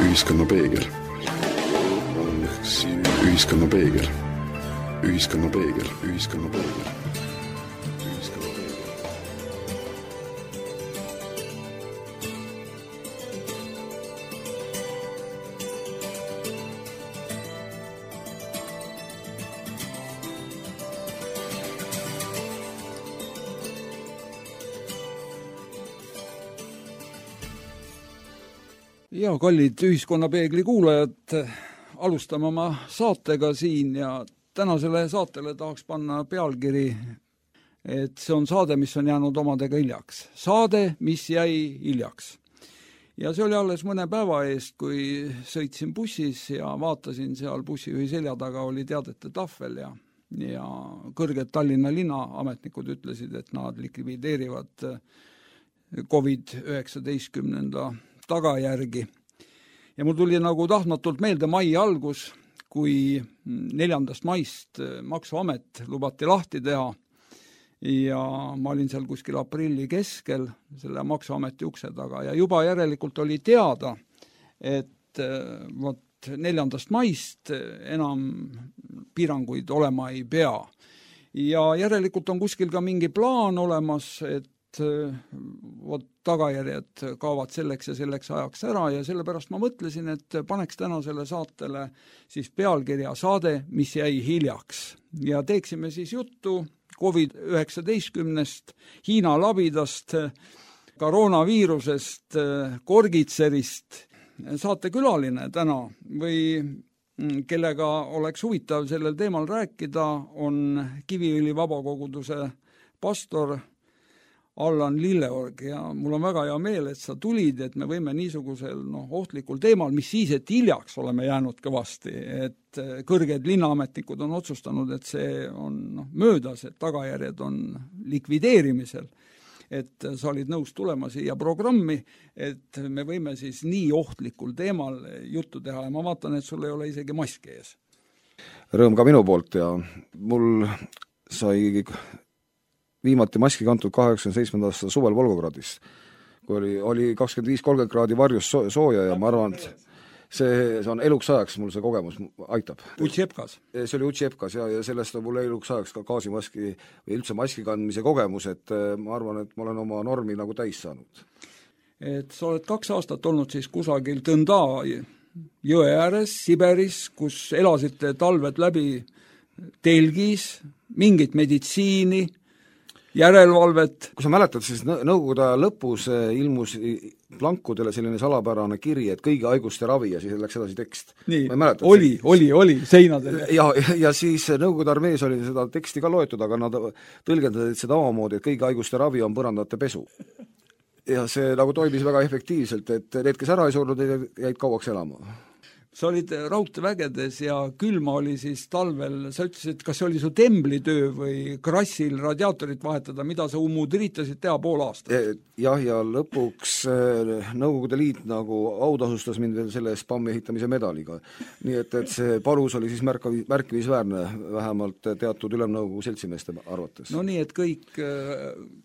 Ühiskonna peegel. Ühiskonna peegel. Ühiskonna peegel. Ühiskonna peegel. Ja kallid Ühiskonnapeegli kuulajad, alustame oma saatega siin ja tänasele saatele tahaks panna pealkiri, et see on saade, mis on jäänud omadega hiljaks. Saade, mis jäi hiljaks. Ja see oli alles mõne päeva eest, kui sõitsin bussis ja vaatasin seal bussijuhi selja taga oli teadete tahvel ja kõrged Tallinna linna ametnikud ütlesid, et nad likvideerivad COVID-19 tagajärgi. Ja mul tuli nagu tahtmatult meelde mai algus, kui 4. maist Maksuamet lubati lahti teha ja ma olin seal kuskil aprilli keskel selle Maksuameti ukse taga ja juba järelikult oli teada, et 4. maist enam piiranguid olema ei pea. Ja järelikult on kuskil ka mingi plaan olemas, et tagajärjed kaovad selleks ja selleks ajaks ära ja sellepärast ma mõtlesin, et paneks tänasele saatele siis pealkirja saade, mis jäi hiljaks. Ja teeksime siis juttu COVID-19, Hiina labidast, koroonaviirusest, Korgitserist. Saatekülaline täna või kellega oleks huvitav sellel teemal rääkida, on Kiviõli vabakoguduse pastor Allan Lilleorg ja mul on väga hea meel, et sa tulid, et me võime niisugusel ohtlikul teemal, mis siis, et hiljaks oleme jäänud kõvasti, et kõrged linnaametnikud on otsustanud, et see on möödas, et tagajärjed on likvideerimisel, et sa olid nõus tulema siia programmi, et me võime siis nii ohtlikul teemal juttu teha ja ma vaatan, et sul ei ole isegi maski ees. Rõõm ka minu poolt ja mul sai viimati maski kantud 87. aasta suvel Volgogradis, kui oli 25-30 kraadi varjus sooja ja ma arvan, et see on eluks ajaks mul see kogemus aitab. Utšepkas? See oli Utšepkas ja sellest on mul eluks ajaks ka gaasimaski või üldse maski kandmise kogemus, et ma arvan, et ma olen oma normi nagu täis saanud. Et sa oled 2 aastat olnud siis kusagil Tõnda jõe ääres, Siberis, kus elasite talved läbi telgis, mingit meditsiini, järelevalvet. Kui sa mäletad, siis nõukogude aja lõpus ilmus plankudele selline salapärane kiri, et kõigi haiguste ravi ja siis läks edasi tekst. Nii, oli seinadel. Ja siis nõukogude armees oli seda teksti ka loetud, aga nad tõlgendasid seda omamoodi, et kõigi haiguste ravi on põrandate pesu. Ja see nagu toimis väga efektiivselt, et need, kes ära ei surnud, jäid kauaks elama. Sa olid raudteevägedes ja külma oli siis talvel, sa ütlesid, kas see oli su temblitöö või krassil radiaatorit vahetada, mida sa üritasid teha pool aastat? Jah, ja lõpuks Nõukogude Liit nagu autasustas mind veel selle spammi ehitamise medaliga. Nii et see palus oli siis märkimisväärne, vähemalt teatud ülemnõukogu seltsimeeste arvates. No nii, et kõik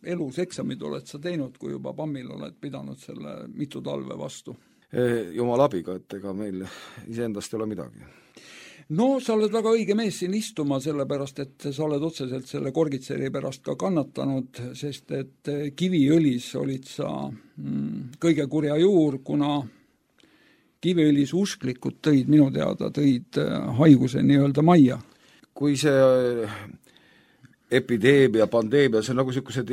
elus eksamid oled sa teinud, kui juba pammil oled pidanud selle mitu talve vastu? Jumal abiga, et ega meil iseendast ei ole midagi. No, sa oled väga õige mees siin istuma, sellepärast, et sa oled otseselt selle Korgitseri pärast ka kannatanud, sest et Kiviõlis olid sa kõige kurja juur, kuna Kiviõlis usklikud minu teada tõid haiguse nii-öelda majja. Kui see epideemia, pandeemia, see on nagu sellised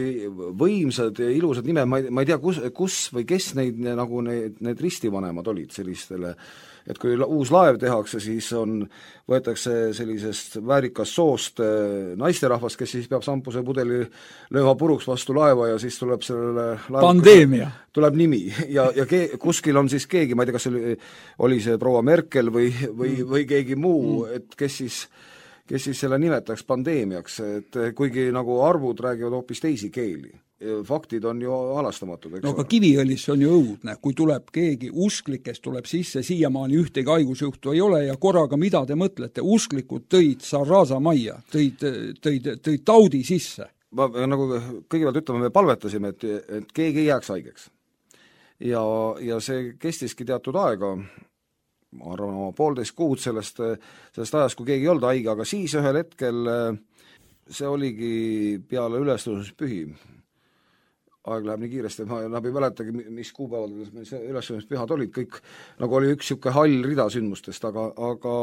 võimsad ja ilusad nimed, ma ei tea, kus või kes need ristivanemad olid sellistele, et kui uus laev tehakse, siis võetakse sellisest väärikast soost naisterahvast, kes siis peab sampuse pudeli lööma puruks vastu laeva ja siis tuleb sellele pandeemia. Tuleb nimi ja kuskil on siis keegi, ma ei tea, kas oli see proua Merkel või keegi muu, et kes siis kes siis selle nimetaks pandeemiaks, et kuigi nagu arvud räägivad hoopis teisi keeli. Faktid on ju halastamatud, eks no aga Kiviõlis on ju õudne, kui tuleb keegi usklikest tuleb sisse, siiamaani ühtegi haigusjuhtu ei ole ja korraga mida te mõtlete, usklikud tõid Sarraza majja, tõid taudi sisse. Ma nagu kõigepealt ütleme, me palvetasime, et keegi ei jääks haigeks. Ja see kestiski teatud aega, ma arvan, oma 1,5 kuud sellest ajast, kui keegi ei olnud haige, aga siis ühel hetkel see oligi peale ülestõusmispühi. Aeg läheb nii kiiresti, ma ei mäletagi, mis kuupäevad see ülestõusmispühad olid, kõik nagu oli üks niisugune hall rida sündmustest, aga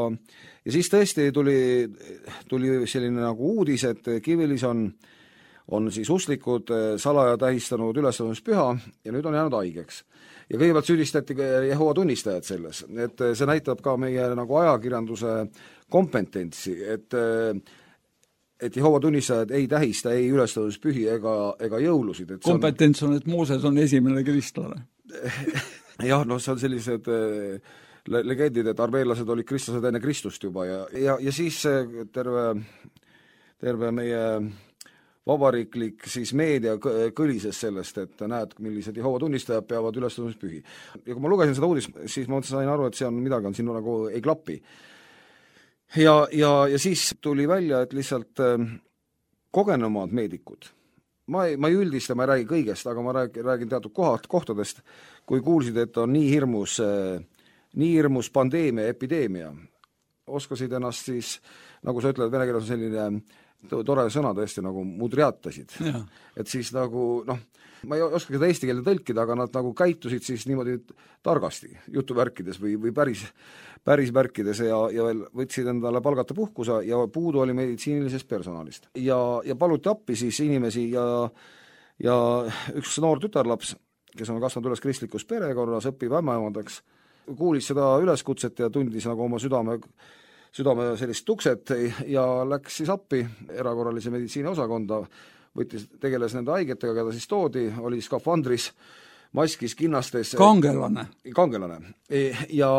ja siis tõesti tuli selline nagu uudis, et Kiviõlis on siis usklikud salaja tähistanud ülestõusmispüha ja nüüd on jäänud haigeks. Ja kõigepealt süüdistati Jehova tunnistajad selles, et see näitab ka meie nagu ajakirjanduse kompetentsi, et Jehova tunnistajad ei tähista ei ülestõusmispühi ega jõulusid. Kompetents on, et Mooses on esimene kristlane. Jah, no see on sellised legendid, et armeelased olid kristlased enne Kristust juba ja siis terve meie vabariiklik siis meedia kõlises sellest, et näed, millised Jehova tunnistajad peavad ülestõusmispühi. Ja kui ma lugesin seda uudist, siis ma sain aru, et see on midagi, on siin nagu ei klapi. Ja siis tuli välja, et lihtsalt kogenumad meedikud, ma ei üldista, ma ei räägi kõigest, aga ma räägin teatud kohtadest, kui kuulsid, et on nii hirmus pandeemia, epideemia, oskasid ennast siis, nagu sa ütled, vene keeles on selline tore sõna tõesti nagu mudriatasid. Et siis nagu, ma ei oska seda eesti keelde tõlkida, aga nad nagu käitusid siis niimoodi targasti jutuvärkides või päris märkides ja veel võtsid endale palgata puhkusa ja puudu oli meditsiinilisest personalist. Ja paluti appi siis inimesi ja üks noor tütarlaps, kes on kasvanud üles kristlikus perekorras, õpib ämmaemandaks, kuulis seda üleskutset ja tundis nagu oma südame sellist tukset ja läks siis appi erakorralise meditsiini osakonda, tegeles nende haigetega, keda siis toodi, oli skafandris, maskis, kinnastes. Kangelane. Ja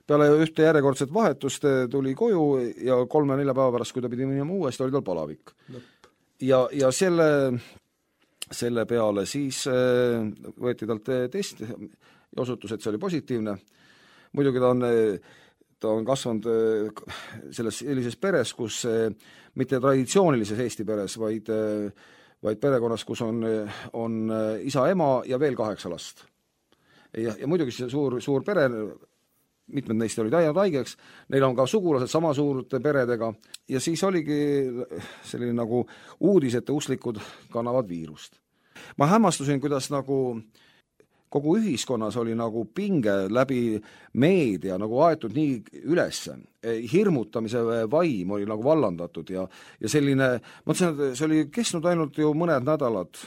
peale ühte järjekordset vahetust tuli koju ja 3-4 päeva pärast, kui ta pidi minema uuesti, oli tal palavik. Ja selle peale siis võeti talt test ja osutus, et see oli positiivne. Muidugi ta on kasvanud sellises peres, kus mitte traditsioonilises Eesti peres, vaid perekonnas, kus on isa, ema ja veel 8 last. Ja muidugi see suur pere, mitmed neist olid jäänud haigeks, neil on ka sugulased sama suurte peredega ja siis oligi selline nagu uudis, et usklikud kannavad viirust. Ma hämmastusin, kuidas nagu kogu ühiskonnas oli nagu pinge läbi meedia nagu aetud nii ülesse. Hirmutamise vaim oli nagu vallandatud ja selline, ma mõtlesin, et see oli kestnud ainult ju mõned nädalad.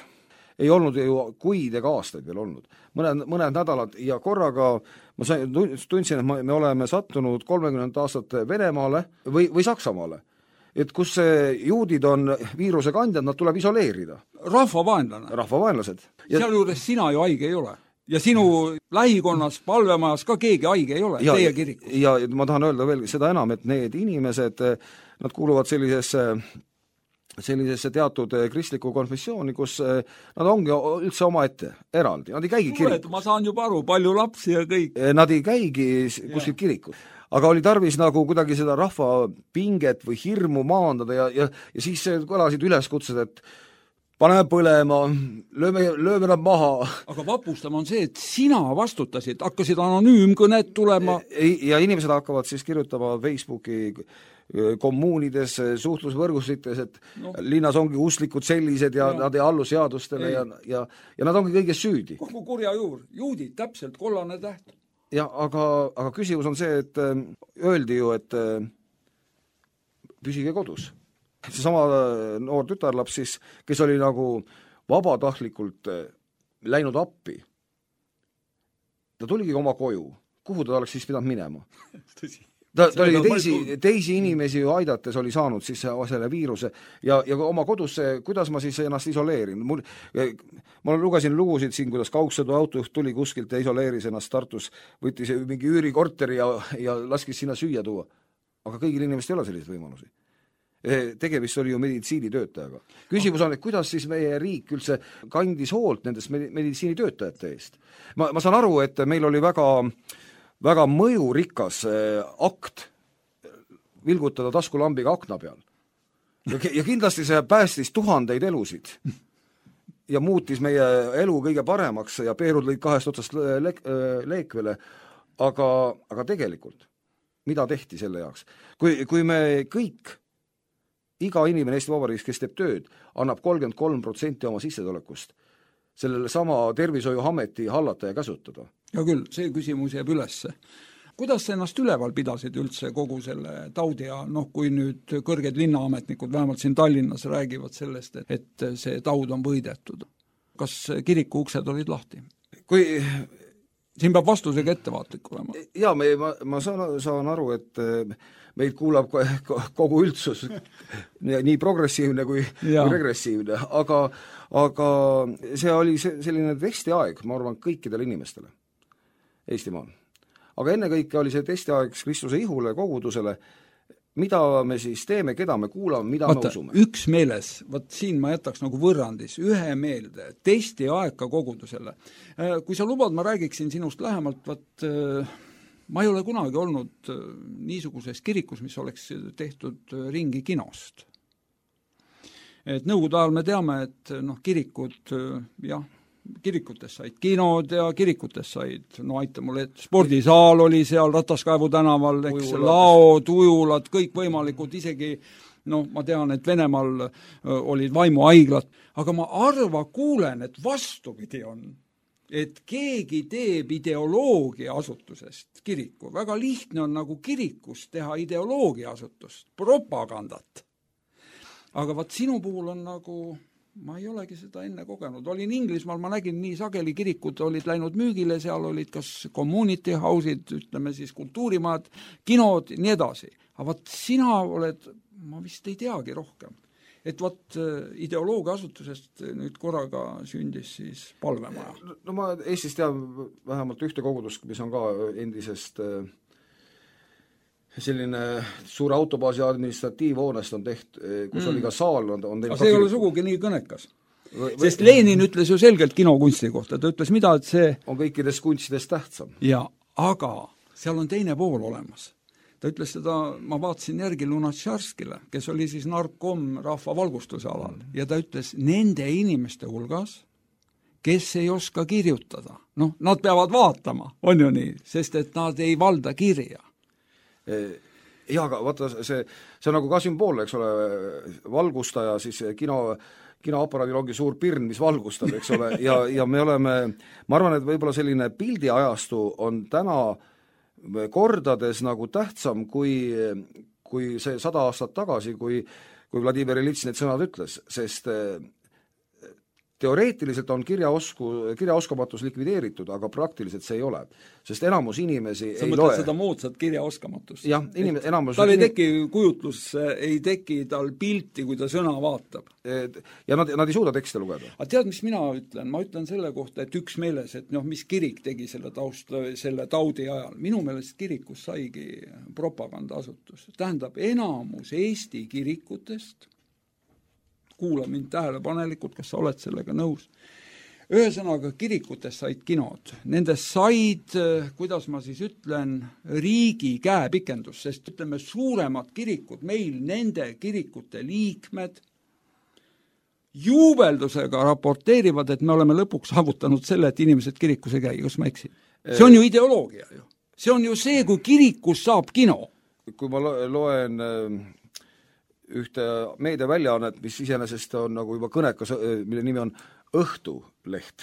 Ei olnud ju kuid ega aastaid veel olnud. Mõned nädalad ja korraga ma tundsin, et me oleme sattunud 30 aastat Venemaale või Saksamaale. Et kus juudid on viiruse kandjad, nad tuleb isoleerida. Rahvavaenlased. Seal juures sina ju haige ei ole. Ja sinu lähikonnas, palvemajas ka keegi haige ei ole, teie kirikus. Ja ma tahan öelda veel seda enam, et need inimesed, nad kuuluvad sellisesse teatud kristlikku konfessiooni, kus nad ongi üldse omaette, eraldi. Nad ei käigi kirikus. Ma saan juba aru, palju lapsi ja kõik. Nad ei käigi kuskil kirikus. Aga oli tarvis nagu kuidagi seda rahva pinget või hirmu maandada ja siis kõlasid üleskutsed, et paneme põlema, lööme nad maha. Aga vapustama on see, et sina vastutasid, hakkasid anonüümkõned tulema. Ja inimesed hakkavad siis kirjutama Facebooki kommuunides, suhtlusvõrgustites, et linnas ongi usklikud sellised ja nad ei allu seadustele ja nad ongi kõiges süüdi. Kogu kurja juur, juudid, täpselt kollane täht. Ja, aga küsimus on see, et öeldi ju, et püsige kodus. See sama noor tütarlaps siis, kes oli nagu vabatahtlikult läinud appi, ta tuligi oma koju. Kuhu ta oleks siis pidanud minema? Ta oli teisi inimesi ju aidates oli saanud siis selle viiruse ja oma kodusse, kuidas ma siis ennast isoleerin. Ma lugesin lugusid siin, kuidas kaugsõdu autojuht tuli kuskilt ja isoleeris ennast Tartus, võttis mingi üürikorteri ja laskis sinna süüa tuua. Aga kõigil inimestel ei ole selliseid võimalusi. tegemist oli ju meditsiinitöötajaga. Küsimus on, et kuidas siis meie riik üldse kandis hoolt nendest meditsiinitöötajate eest. Ma saan aru, et meil oli väga mõjurikas akt vilgutada taskulambiga akna peal. Ja kindlasti see päästis tuhandeid elusid ja muutis meie elu kõige paremaks ja peerud lõid kahest otsast leekvele, aga tegelikult, mida tehti selle jaoks? Kui me kõik, iga inimene Eesti Vabariigis, kes teeb tööd, annab 33% oma sissetulekust sellele sama tervishoiuameti hallata ja käsutada. Ja küll, see küsimus jääb ülesse. Kuidas sa ennast üleval pidasid üldse kogu selle taudi ja kui nüüd kõrged linnaametnikud vähemalt siin Tallinnas räägivad sellest, et see taud on võidetud? Kas kiriku uksed olid lahti? Siin peab vastusega ettevaatlik olema. Jaa, ma saan aru, et meid kuulab kogu üldsus, nii progressiivne kui regressiivne, aga see oli selline testiaeg, ma arvan, kõikidele inimestele Eestimaal. Aga ennekõike oli see testiaeg Kristuse ihule, kogudusele, mida me siis teeme, keda me kuulame, mida me usume. Üks meeles, siin ma jätaks nagu võrrandis, ühe meelde, testiaeg ka kogudusele. Kui sa lubad, ma räägiksin sinust lähemalt, ma ei ole kunagi olnud niisuguses kirikus, mis oleks tehtud ringi kinost. Et nõukogude ajal me teame, et kirikud, kirikutes said kinod ja kirikutes said, aita mulle, spordisaal oli seal Rataskaevu tänaval, laod, ujulad, kõik võimalikud, isegi ma tean, et Venemaal olid vaimuhaiglad, aga ma kuulen, et vastupidi on, et keegi teeb ideoloogia asutusest kiriku. Väga lihtne on nagu kirikus teha ideoloogia asutust, propagandat. Aga sinu puhul on nagu ma ei olegi seda enne kogenud. Olin Inglismaal, ma nägin nii sageli kirikud olid läinud müügile, seal olid kas community house'id, ütleme siis kultuurimad, kinod, nii edasi. Aga sina oled, ma vist ei teagi rohkem. Et ideoloogia asutusest nüüd korraga sündis siis palvemaja. No ma Eestis tean vähemalt ühte kogudust, mis on ka endisest selline suure autobaasi administratiivhoonest on kus oli ka saal. Aga see ei ole sugugi nii kõnekas. Sest Lenin ütles ju selgelt kinokunsti kohta. Ta ütles, mida, et see on kõikidest kunstidest tähtsam. Ja, aga seal on teine pool olemas. Ta ütles seda, ma vaatasin järgi Lunatšarskile, kes oli siis narkom rahva valgustuse alal. Ja ta ütles, nende inimeste hulgas, kes ei oska kirjutada. Nad peavad vaatama, on ju nii, sest et nad ei valda kirja. Ja, aga vaata, see on nagu ka sümbool, eks ole, valgustaja, siis kinoaparaadil ongi suur pirn, mis valgustab, eks ole, ja me oleme, ma arvan, et võib-olla selline pildiajastu on täna kordades nagu tähtsam kui see 100 aastat tagasi, kui Vladimir Ilitš need sõnad ütles, sest teoreetiliselt on kirjaoskamatus likvideeritud, aga praktiliselt see ei ole. Sest enamus inimesi ei loe. Sa mõtled seda moodsat kirjaoskamatust? Jah, tal ei teki kujutlus, ei teki tal pilti, kui ta sõna vaatab. Ja nad ei suuda tekste lugeda. Aga tead, mis mina ütlen? Ma ütlen selle kohta, et üks meeles, et mis kirik tegi selle taudi ajal. Minu meelest kirikus saigi propagandaasutus. Tähendab, enamus Eesti kirikutest, kuula mind tähelepanelikult, kas sa oled sellega nõus. Ühesõnaga, kirikutes said kinod. Nendest said, kuidas ma siis ütlen, riigi käepikendus, sest ütleme, suuremad kirikud, meil nende kirikute liikmed juubeldusega raporteerivad, et me oleme lõpuks saavutanud selle, et inimesed kirikus ei käi, kas ma eksin? See on ju ideoloogia ju. See on ju see, kui kirikus saab kino. Kui ma loen ühte meediaväljaannet, mis iseenesest on nagu juba kõnekas, mille nimi on Õhtuleht.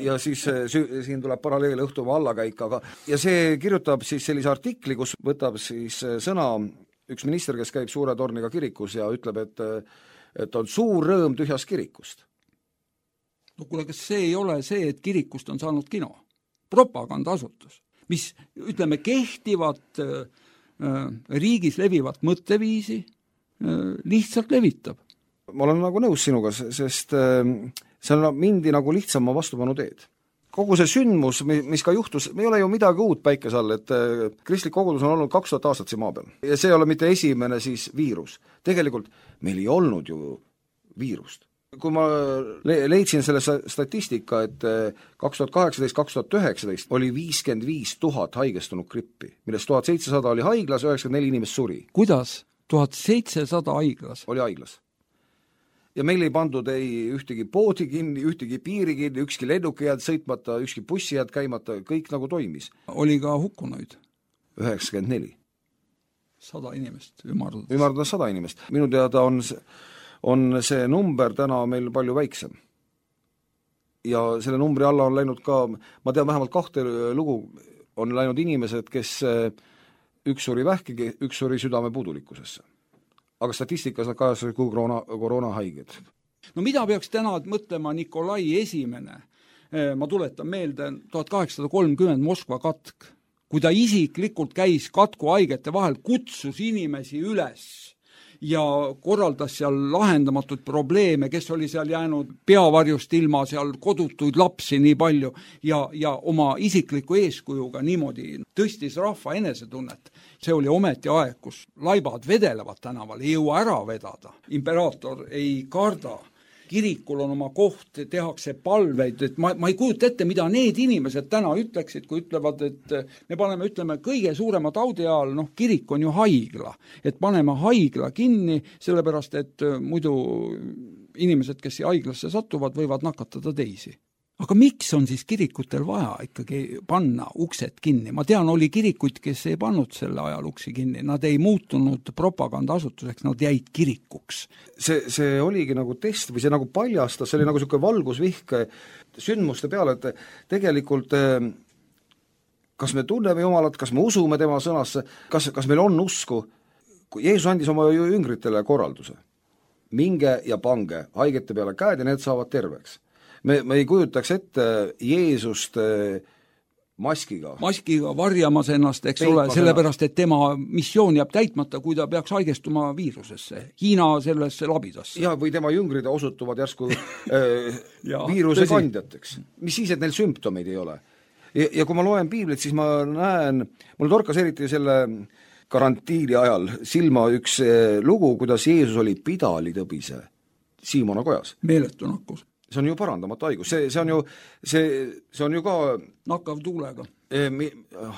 Ja siis siin tuleb paralleel Õhtumaa allakäik, ja see kirjutab siis sellise artikli, kus võtab siis sõna üks minister, kes käib suure torniga kirikus ja ütleb, et on suur rõõm tühjast kirikust. No kuule, kas see ei ole see, et kirikust on saanud kino? Propagandaasutus, mis, ütleme, kehtivat riigis levivat mõtteviisi lihtsalt levitab. Ma olen nagu nõus sinuga, sest see on mindi nagu lihtsama vastupanu teed. kogu see sündmus, mis ka juhtus, me ei ole ju midagi uut päikese all, et kristlik kogudus on olnud 2000 aastat siin maa peal. Ja see ei ole mitte esimene siis viirus. Tegelikult meil ei olnud ju viirust. Kui ma leidsin selle statistika, et 2018-2019 oli 55 000 haigestunud grippi, millest 1700 oli haiglas, 94 inimest suri. Kuidas? 1700 haiglas? Oli haiglas. Ja meil ei pandud ei ühtegi poodi kinni, ühtegi piiri kinni, ükski lennuki jääd sõitmata, ükski bussi jääd käimata, kõik nagu toimis. Oli ka hukkunuid? 94. 100 inimest, ümardades. Ümardades 100 inimest. Minu teada on see number täna meil palju väiksem. Ja selle numbri alla on läinud ka, ma tean vähemalt 2 lugu, on läinud inimesed, kes üks suri vähki, üks suri südame puudulikkusesse. Aga statistikas nad kajastasid kui koroonahaiged. No mida peaks täna mõtlema Nikolai esimene? Ma tuletan meelde 1830 Moskva katk, kui ta isiklikult käis katku haigete vahel, kutsus inimesi üles ja korraldas seal lahendamatud probleeme, kes oli seal jäänud peavarjust ilma, seal kodutuid lapsi nii palju ja oma isikliku eeskujuga niimoodi tõstis rahva enesetunnet. See oli ometi aeg, kus laibad vedelevad tänaval, ei jõua ära vedada. Imperaator ei karda. Kirikul on oma koht, tehakse palveid, et ma ei kujuta ette, mida need inimesed täna ütleksid, kui ütlevad, et me ütleme kõige suurema taudi ajal, kirik on ju haigla, et paneme haigla kinni, sellepärast, et muidu inimesed, kes haiglasse satuvad, võivad nakatada teisi. Aga miks on siis kirikutel vaja ikkagi panna uksed kinni? Ma tean, oli kirikuid, kes ei pannud selle ajal uksi kinni. Nad ei muutunud propagandaasutuseks, nad jäid kirikuks. See oligi nagu test või see nagu paljastas, see oli nagu selline valgusvihk sündmuste peale, et tegelikult kas me tunneme Jumalat, kas me usume tema sõnasse, kas meil on usku. Jeesus andis oma jüngritele korralduse. Minge ja pange haigete peale käed ja need saavad terveks. Me ei kujutaks ette Jeesust maskiga. Maskiga varjamas ennast, eks ole, sellepärast, et tema missioon jääb täitmata, kui ta peaks haigestuma viirusesse, Hiina sellesse labidasse. Ja, või tema jüngrid osutuvad järsku viiruse kandjateks. Mis siis, et neil sümptomeid ei ole? Ja kui ma loen piiblit, siis ma näen, mul torkas eriti selle karantiini ajal silma üks lugu, kuidas Jeesus oli pidalitõbise Siimona kojas. Meeletu nakkus. See on ju parandamatu haigus, see on ju ka nakkav tuulega.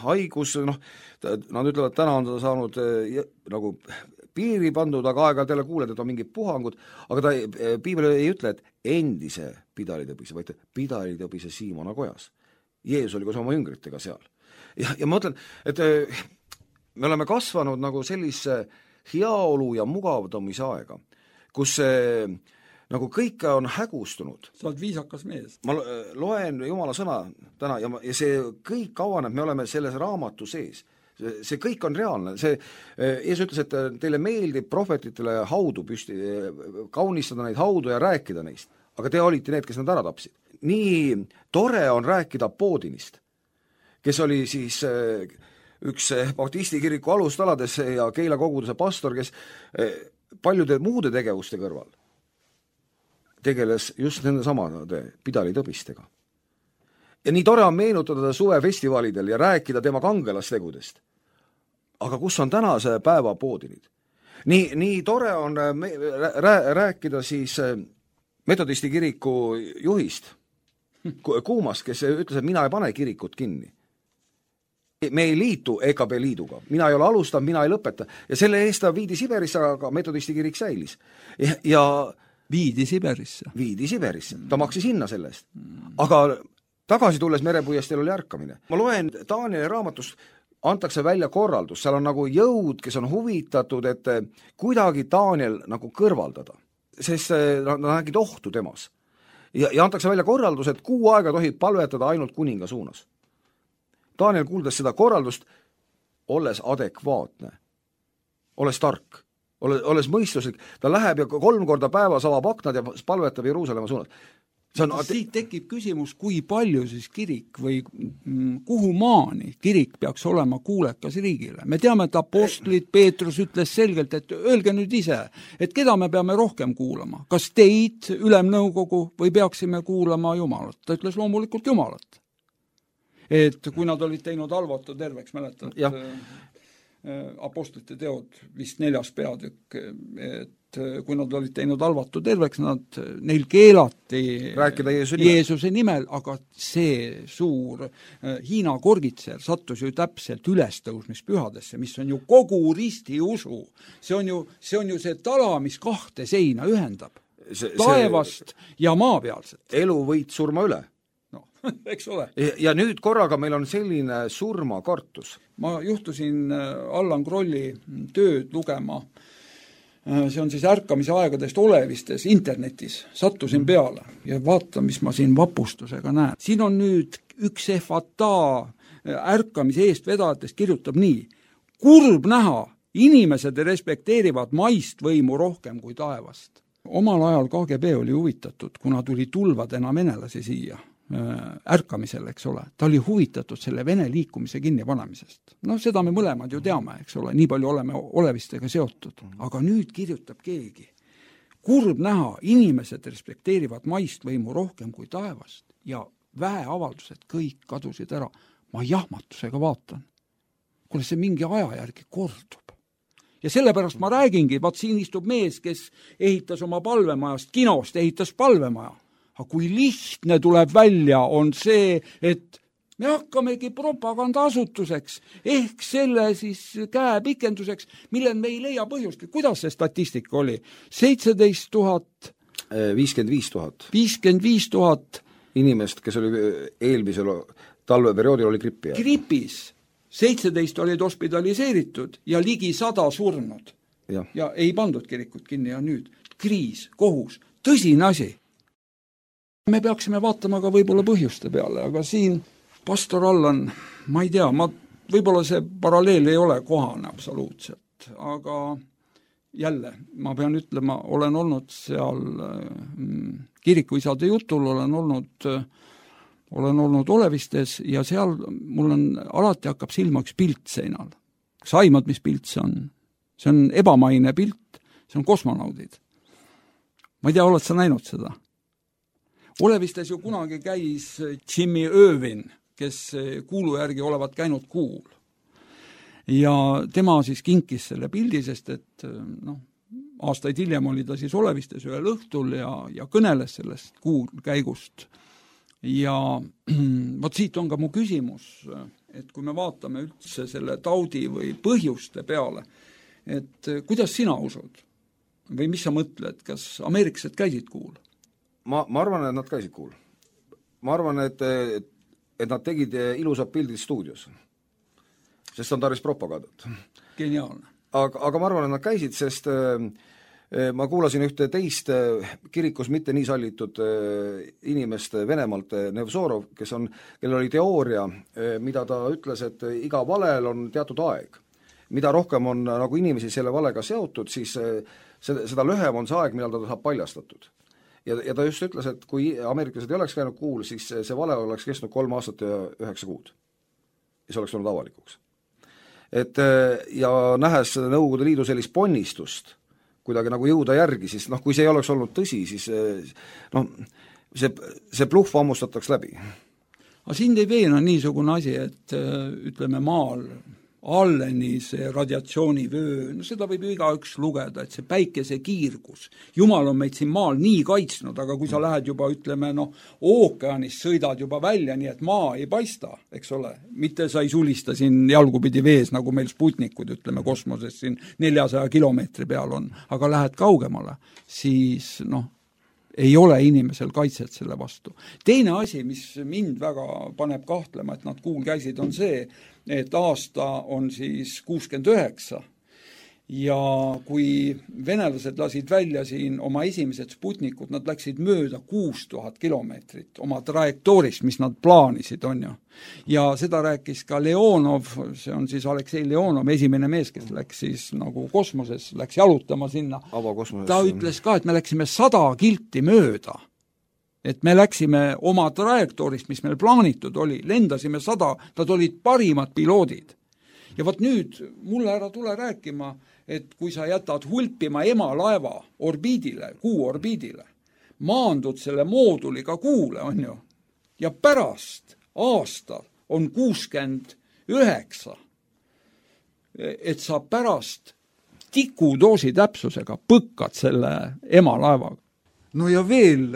Haigus, nad ütlevad, täna on ta saanud nagu piiri pandud, aga aeg-ajalt jälle kuuled, et on mingid puhangud, aga piibel ei ütle, et endise pidalitõbise, vaid pidalitõbise Siimona kojas. Jeesus oli koos oma jüngritega seal. Ja ma mõtlen, et me oleme kasvanud nagu sellise heaolu ja mugavdamise aega, kus nagu kõike on hägustunud. Sa oled viisakas mees. Ma loen Jumala sõna täna ja see kõik avaneb, me oleme selles raamatu sees. See kõik on reaalne. Jeesus ütles, et teile meeldib prohvetitele haudu püsti, kaunistada neid haudu ja rääkida neist. Aga te olite need, kes nad ära tapsid. Nii tore on rääkida Poodinist, kes oli siis üks baptisti kiriku alustalades ja Keila koguduse pastor, kes paljude muude tegevuste kõrval tegeles just nende samade pidalitõbistega. Ja nii tore on meenutada suvefestivalidel ja rääkida tema kangelastegudest. Aga kus on tänase päeva Poodinid? Nii tore on rääkida siis metodisti kiriku juhist, Kuumast, kes ütles, et mina ei pane kirikut kinni. Me ei liitu EKB liiduga. Mina ei ole alustanud, mina ei lõpeta. Ja selle eest ta viidi Siberisse, aga metodisti kirik säilis. Ja Viidi Siberisse. Ta maksis hinna sellest. Aga tagasi tulles merepuiesteel oli ärkamine. Ma loen Danieli raamatust, antakse välja korraldus, seal on nagu jõud, kes on huvitatud, et kuidagi Daniel nagu kõrvaldada, sest nad nägid ohtu temas. Ja antakse välja korraldus, et 6 aega tohib palvetada ainult kuninga suunas. Daniel kuuldes seda korraldust, olles adekvaatne, olles tark, olles mõistuslik, ta läheb ja 3 korda päevas avab aknad ja palvetab Jeruusalemma suunas. Siit tekib küsimus, kui palju siis kirik või kuhu maani kirik peaks olema kuulekas riigile. Me teame, et apostlid Peetrus ütles selgelt, et öelge nüüd ise, et keda me peame rohkem kuulama. Kas teid, ülemnõukogu, või peaksime kuulama Jumalat? Ta ütles loomulikult Jumalat. et kui nad olid teinud halvatu terveks, mäletad, apostlite teod, vist 4. peatükk, et kui nad olid teinud halvatu terveks, neil keelati rääkida Jeesuse nimel, aga see suur Hiina korgitser sattus ju täpselt ülestõusmispühadesse, mis on ju kogu ristiusu. See on ju see tala, mis 2 seina ühendab. Taevast ja maapealset. Elu võit surma üle. No, eks ole. Ja nüüd korraga meil on selline surmakartus. Ma juhtusin Allan Krolli tööd lugema. See on siis ärkamise aegadest olevistes internetis. Sattusin peale ja vaatan, mis ma siin vapustusega näen. Siin on nüüd üks FATA ärkamise eest vedajatest kirjutab nii. Kurb näha, inimesed respekteerivad maist võimu rohkem kui taevast. Omal ajal KGB oli huvitatud, kuna tuli tulvadena venelasi siia ärkamisel, eks ole. Ta oli huvitatud selle Vene liikumise kinnipanemisest. No seda me mõlemad ju teame, eks ole, nii palju oleme olevistega seotud. Aga nüüd kirjutab keegi. Kurb näha, inimesed respekteerivad maist võimu rohkem kui taevast ja väeavaldused kõik kadusid ära. Ma jahmatusega vaatan. Kuule, see mingi aja järgi kordub. Ja sellepärast ma räägingi, vaat siin istub mees, kes ehitas oma palvemajast, kinost ehitas palvemaja. Aga kui lihtne tuleb välja, on see, et me hakkamegi propagandaasutuseks, ehk selle siis käepikenduseks, millel me ei leia põhjust. Kuidas see statistika oli? 17 000... 55 000. 55 000 inimest, kes oli eelmisel talveperioodil oli grippi. Gripis 17 olid hospitaliseeritud ja ligi 100 surnud. Ja ei pandud kirikut kinni ja nüüd kriis, kohus, tõsine asi. Me peaksime vaatama ka võib-olla põhjuste peale, aga siin pastor Allan, ma ei tea, võib-olla see paralleel ei ole kohane absoluutselt, aga jälle, ma pean ütlema, olen olnud seal kirikuisade jutul, olen olnud olevistes ja seal mul on alati hakkab silma üks pilt seinal. Saimad, mis pilt see on? See on ebamaine pilt, see on kosmonaudid. Ma ei tea, oled sa näinud seda? Olevistes ju kunagi käis Jimmy Irvin, kes kuulu järgi olevat käinud kuul. Ja tema siis kinkis selle pildi, sest et aastaid hiljem oli ta siis olevistes ühel õhtul ja kõneles sellest kuul käigust. Ja võt siit on ka mu küsimus, et kui me vaatame üldse selle taudi või põhjuste peale, et kuidas sina usud? Või mis sa mõtled, kas ameeriklased käisid kuul? Ma arvan, et nad käisid kuul. Ma arvan, et nad tegid ilusad pildid stuudios, sest on tarvis propagandat. Geniaalne. Aga ma arvan, et nad käisid, sest ma kuulasin ühte teist kirikus mitte nii sallitud inimest Venemaalt, Nevzorov, kellel oli teooria, mida ta ütles, et iga valel on teatud aeg. Mida rohkem on nagu inimesi selle valega seotud, siis seda lühem on see aeg, millal ta saab paljastatud. Ja ta just ütles, et kui ameeriklased ei oleks käinud kuul, siis see vale oleks kestnud 3 aastat ja 9 kuud. Ja see oleks olnud avalikuks. Ja nähes Nõukogude Liidu sellist ponnistust, kuidagi nagu jõuda järgi, siis kui see ei oleks olnud tõsi, siis see bluff ammustataks läbi. Aga sind ei veena niisugune asi, et ütleme maal alleni see radiatsioonivöö, seda võib ju igaüks lugeda, et see päikese kiirgus. Jumal on meid siin maal nii kaitsnud, aga kui sa lähed juba, ütleme, ookeanist sõidad juba välja, nii et maa ei paista, eks ole. Mitte sa ei sulista siin jalgupidi vees, nagu meil Sputnikud, ütleme, kosmoses siin 400 kilomeetri peal on, aga lähed kaugemale, siis ei ole inimesel kaitset selle vastu. Teine asi, mis mind väga paneb kahtlema, et nad kuul käisid, on see, et aasta on siis 69 ja kui venelased lasid välja siin oma esimesed Sputnikud, nad läksid mööda 6000 kilomeetrit oma trajektoorist, mis nad plaanisid, on ju. Ja seda rääkis ka Leonov, see on siis Aleksei Leonov, esimene mees, kes läks siis nagu kosmoses, läks jalutama sinna. Ta ütles ka, et me läksime 100 kilti mööda. Et me läksime oma trajektoorist, mis meil plaanitud oli, lendasime 100, nad olid parimad piloodid. Ja võt nüüd mulle ära tule rääkima, et kui sa jätad hulpima emalaeva orbiidile, kuu orbiidile, maandud selle mooduliga kuule, on ju, ja pärast aasta on 69, et sa pärast tikudoosi täpsusega põkkad selle emalaevaga. No ja veel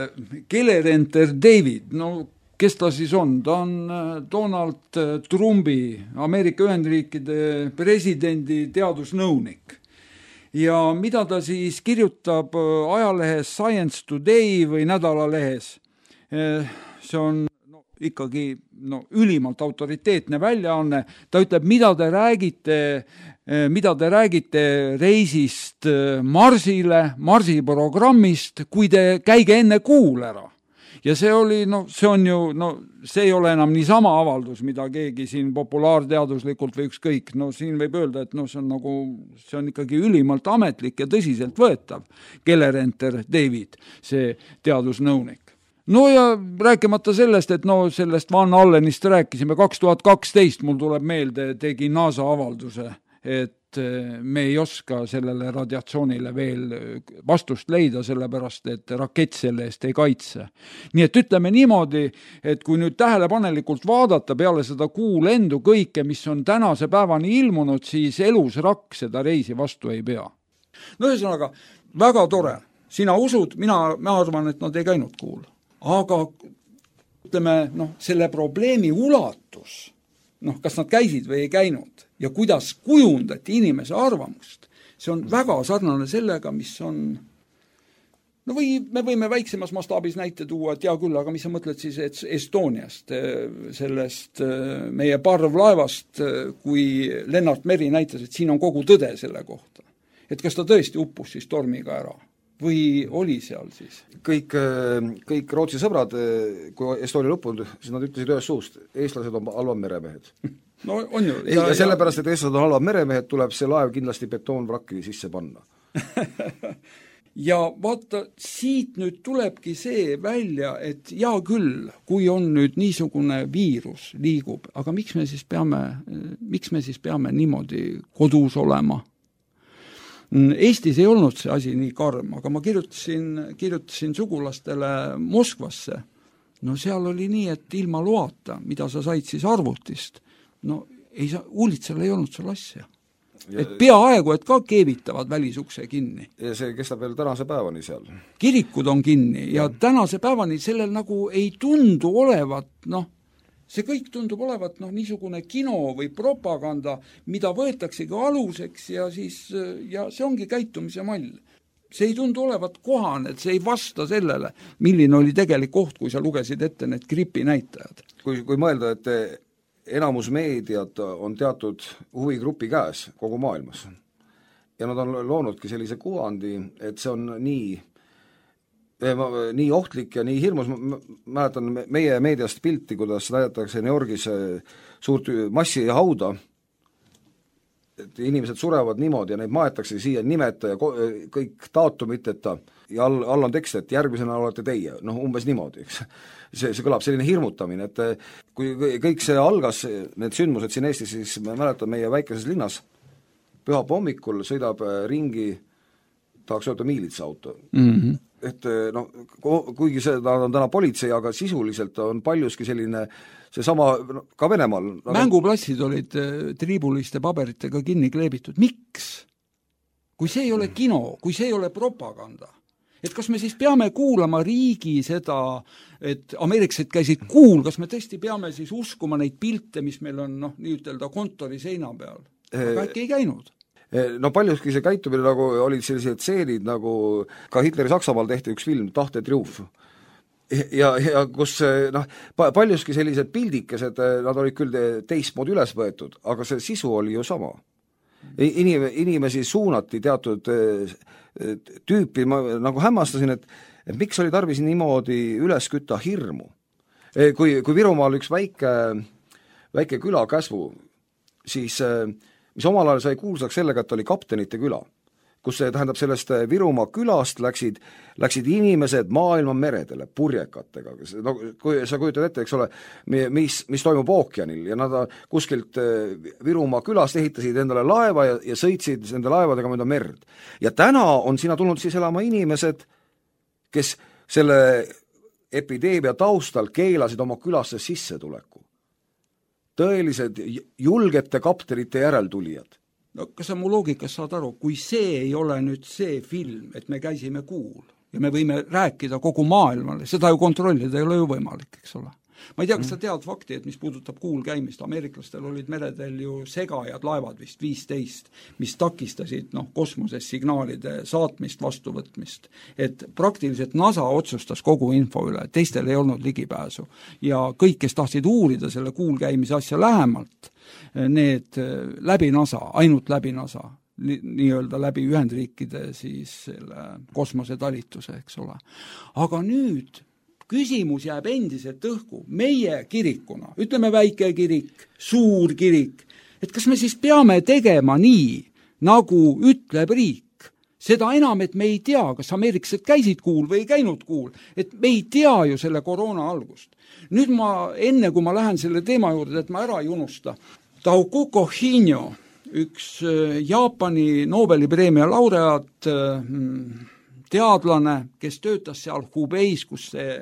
Keller Enter David, no kes ta siis on? Ta on Donald Trumpi, Ameerika Ühendriikide presidendi teadusnõunik. Ja mida ta siis kirjutab ajalehes Science Today või nädalalehes? See on ikkagi ülimalt autoriteetne väljaanne. Ta ütleb, mida te räägite reisist Marsile, Marsi programmist, kui te käige enne Kuul ära. Ja see oli, see on ju, see ei ole enam niisama avaldus, mida keegi siin populaarteaduslikult või ükskõik. Siin võib öelda, et see on ikkagi ülimalt ametlik ja tõsiselt võetav. Keller Enter David, see teadusnõunik. No ja rääkimata sellest, et sellest Van Allenist rääkisime 2012, mul tuleb meelde, tegi NASA avalduse, et me ei oska sellele radiatsioonile veel vastust leida, sellepärast, et rakett selle eest ei kaitse. Nii et ütleme niimoodi, et kui nüüd tähelepanelikult vaadata peale seda kuulendu kõike, mis on tänase päevani ilmunud, siis elus rakk seda reisi vastu ei pea. No ühesõnaga, väga tore. Sina usud, ma arvan, et nad ei käinud Kuul. Aga ütleme, selle probleemi ulatus, kas nad käisid või ei käinud ja kuidas kujundati inimese arvamust, see on väga sarnane sellega, mis on, või me võime väiksemas mastaabis näite tuua, et hea küll, aga mis sa mõtled siis Estoniast, sellest meie parvlaevast, kui Lennart Meri näitas, et siin on kogu tõde selle kohta. Et kas ta tõesti uppus siis tormiga ära? Või oli seal siis? Kõik Rootsi sõbrad, kui Estonia lõppunud, siis nad ütlesid ühes suust, eestlased on halvad meremehed. No on ju. Ja sellepärast, et eestlased on halvad meremehed, tuleb see laev kindlasti betoonvrakki sisse panna. Ja vaata, siit nüüd tulebki see välja, et hea küll, kui on nüüd niisugune viirus liigub, aga miks me siis peame niimoodi kodus olema? Eestis ei olnud see asi nii karm, aga ma kirjutasin sugulastele Moskvasse. No seal oli nii, et ilma loata, mida sa said siis arvutist, uulitsel ei olnud seal asja. Et peaaegu, et ka keevitavad välisukse kinni. Ja see kestab veel tänase päevani seal. Kirikud on kinni ja tänase päevani sellel nagu ei tundu olevat, see kõik tundub olevat niisugune kino või propaganda, mida võetaksegi aluseks ja see ongi käitumise mall. See ei tundu olevat kohane, et see ei vasta sellele, milline oli tegelik koht, kui sa lugesid ette need gripi näitajad. Kui mõelda, et enamus meediat on teatud huvigrupi käes kogu maailmas ja nad on loonudki sellise kuvandi, et see on nii ohtlik ja nii hirmus, ma mäletan meie meediast pilti, kuidas näidatakse New Yorgis suurt massihauda, et inimesed surevad niimoodi ja neid maetakse siia nimeta ja kõik daatumiteta ja all on tekst, et järgmisena olete teie, umbes niimoodi, eks. See kõlab selline hirmutamine, et kui kõik see algas, need sündmused siin Eestis, siis ma mäletan meie väikeses linnas, pühapäeva hommikul sõidab ringi, tahaks öelda miilitsauto. Et kuigi seda on täna politsei, aga sisuliselt on paljuski selline seesama ka Venemaal. Mänguplassid olid triibuliste paberitega kinni kleebitud. Miks? Kui see ei ole kino, kui see ei ole propaganda, et kas me siis peame kuulama riigi seda, et ameeriklased käisid Kuul, kas me tõesti peame siis uskuma neid pilte, mis meil on nii ütelda kontori seina peal? Aga äkki ei käinud? Paljuski see käitumine nagu olid sellised seenid, nagu ka Hitleri Saksamaal tehti üks film, Tahte triumf. Ja kus paljuski sellised pildikesed, nad olid küll teistmoodi üles võetud, aga see sisu oli ju sama. Inimesi suunati teatud tüüpi, ma nagu hämmastasin, et miks oli tarvis niimoodi üles kütta hirmu. Kui Virumaal üks väike küla Käsvu, siis mis omal ajal sai kuulsaks sellega, et oli kaptenite küla, kus tähendab sellest Virumaa külast läksid inimesed maailma meredele purjekatega. Kui sa kujutad ette, eks ole, mis toimub ookeanil ja nad kuskilt Virumaa külast ehitasid endale laeva ja sõitsid nende laevadega mööda merd. Ja täna on sinna tulnud siis elama inimesed, kes selle epideemia taustal keelasid oma külasse sissetuleku. tõelised julgete kaptenite järeltulijad. No kas sa mu loogikas saad aru, kui see ei ole nüüd see film, et me käisime kuul ja me võime rääkida kogu maailmale, seda ju kontrollida ei ole ju võimalik, eks ole. Ma ei tea, kas sa tead fakti, et mis puudutab kuul käimist, ameeriklastel olid meredel ju segajad laevad vist 15, mis takistasid kosmoses signaalide saatmist, vastuvõtmist. Et praktiliselt NASA otsustas kogu info üle, teistel ei olnud ligipääsu. Ja kõik, kes tahtsid uurida selle kuul käimise asja lähemalt, need läbi NASA, ainult läbi NASA, nii-öelda läbi Ühendriikide siis selle kosmosetalituse, eks ole. Aga nüüd küsimus jääb endiselt õhku. Meie kirikuna, ütleme väike kirik, suur kirik, et kas me siis peame tegema nii, nagu ütleb riik? Seda enam, et me ei tea, kas ameeriklased käisid kuul või ei käinud kuul, et me ei tea ju selle koroona algust. Nüüd enne kui ma lähen selle teema juurde, et ma ära ei unusta, Taukuko Hinjo, üks Jaapani Nobeli preemia laureaat, teadlane, kes töötas seal Hubeis, kus see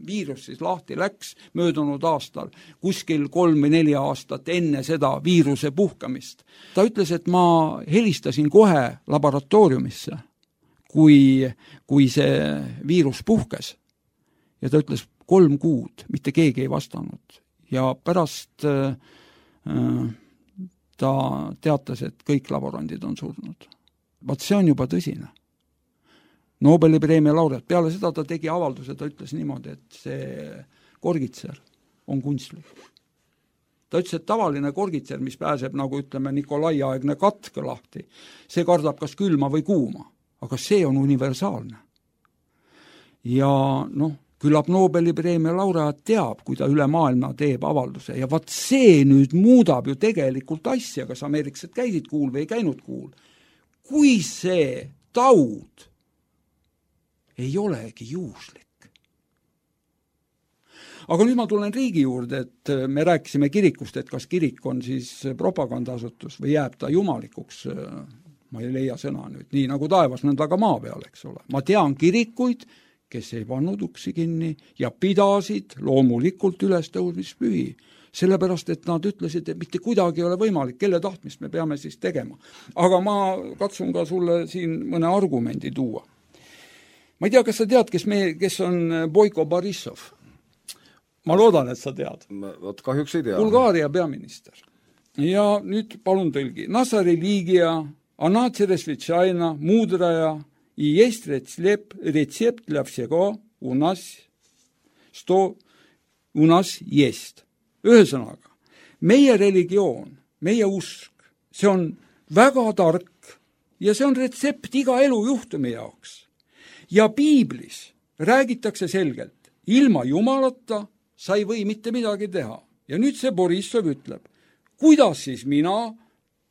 viirus siis lahti läks möödunud aastal, kuskil 3 või 4 aastat enne seda viiruse puhkamist. Ta ütles, et ma helistasin kohe laboratooriumisse, kui see viirus puhkes. Ja ta ütles 3 kuud, mitte keegi ei vastanud. Ja pärast ta teatas, et kõik laborandid on surnud. Vaat see on juba tõsine. Nobeli preemia laureaat. Peale seda ta tegi avalduse, ta ütles niimoodi, et see korgitser on kunstlik. Ta ütles, et tavaline korgitser, mis pääseb, nagu ütleme, Nikolai-aegne katk lahti, see kardab kas külma või kuuma, aga see on universaalne. Ja küllap Nobeli preemia laureaat teab, kui ta üle maailma teeb avalduse ja vaat see nüüd muudab ju tegelikult asja, kas ameeriklased käisid kuul või ei käinud kuul. Kui see taud ei olegi juhuslik. Aga nüüd ma tulen riigi juurde, et me rääkisime kirikust, et kas kirik on siis propagandaasutus või jääb ta jumalikuks, ma ei leia sõna nüüd, nii nagu taevas, nõnda ka maa peal, eks ole. Ma tean kirikuid, kes ei pannud uksi kinni ja pidasid loomulikult ülestõusmispühi, sellepärast, et nad ütlesid, et mitte kuidagi ei ole võimalik, kelle tahtmist me peame siis tegema. Aga ma katsun ka sulle siin mõne argumendi tuua. Ma ei tea, kas sa tead, kes on Boiko Borissov? Ma loodan, et sa tead. Vot kahjuks ei tea. Bulgaaria peaminister. Ja nüüd palun tõlgi. Nasa religia, она чрезвычайно мудрая, и есть рецепт для всего у нас, что у нас есть. Ühesõnaga, meie religioon, meie usk, see on väga tark ja see on retsept iga elujuhtumi jaoks. Ja piiblis räägitakse selgelt, ilma jumalata sa ei või mitte midagi teha. Ja nüüd see Borissov ütleb, kuidas siis mina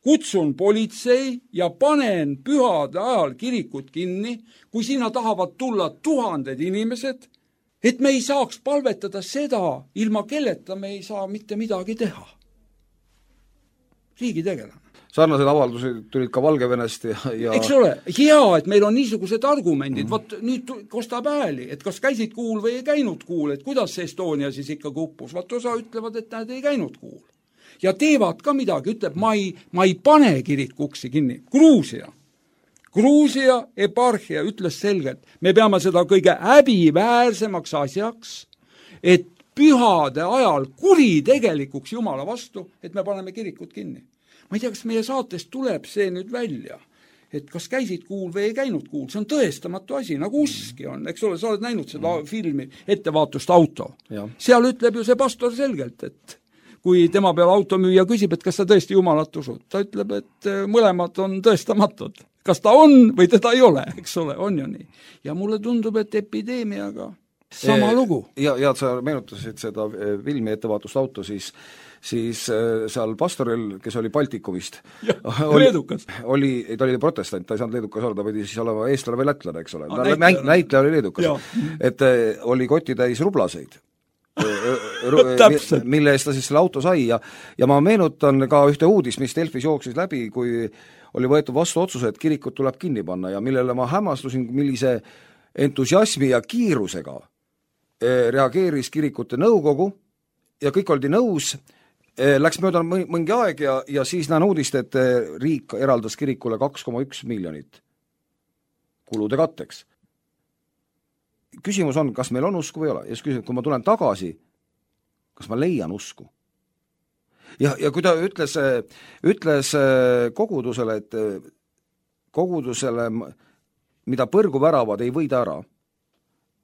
kutsun politsei ja panen pühade ajal kirikut kinni, kui sinna tahavad tulla 1000 inimesed, et me ei saaks palvetada seda, ilma kelleta me ei saa mitte midagi teha. Riigitegelane. Sarnased avaldused tulid ka Valgevenest ja... Eks ole, hea, et meil on niisugused argumendid, Vot nüüd kostab hääli, et kas käisid kuul või ei käinud kuul, et kuidas see Estonia siis ikka kuppus, Vot osa ütlevad, et nad ei käinud kuul. Ja teevad ka midagi, ütleb, ma ei pane kirikuksi kinni. Gruusia eparhia ütles selgelt, me peame seda kõige häbiväärsemaks asjaks, et pühade ajal kuritegelikuks Jumala vastu, et me paneme kirikut kinni. Ma ei tea, kas meie saatest tuleb see nüüd välja, et kas käisid kuul või ei käinud kuul, see on tõestamatu asi, nagu uski on, eks ole, sa oled näinud seda filmi Ettevaatust auto. Ja. Seal ütleb ju see pastor selgelt, et kui tema peal automüüja küsib, et kas sa tõesti Jumalat usud, ta ütleb, et mõlemad on tõestamatud. Kas ta on või teda ei ole, eks ole, on ju nii. Ja mulle tundub, et epideemiaga sama lugu. Ja sa meenutasid seda filmi Ettevaatust auto, siis seal pastoril, kes oli Baltikumist, ta oli protestant, ta ei saanud leedukas olla, ta pidi siis olema eestlane või lätlane, eks ole. Näitleja oli leedukas. Et oli koti täis rublaseid, mille eest ta siis selle auto sai ja ma meenutan ka ühte uudis, mis Delfis jooksis läbi, kui oli võetud vastu otsuse, et kirikut tuleb kinni panna ja millele ma hämmastusin, millise entusiasmi ja kiirusega reageeris kirikute nõukogu ja kõik oldi nõus Läks mööda mõngi aeg ja siis näen uudist, et riik eraldas kirikule 2,1 miljonit kulude katteks. Küsimus on, kas meil on usku või ei ole. Ja siis küsimus, kui ma tulen tagasi, kas ma leian usku? Ja kui ta ütles kogudusele, et kogudusele, mida põrgu väravad, ei võida ära,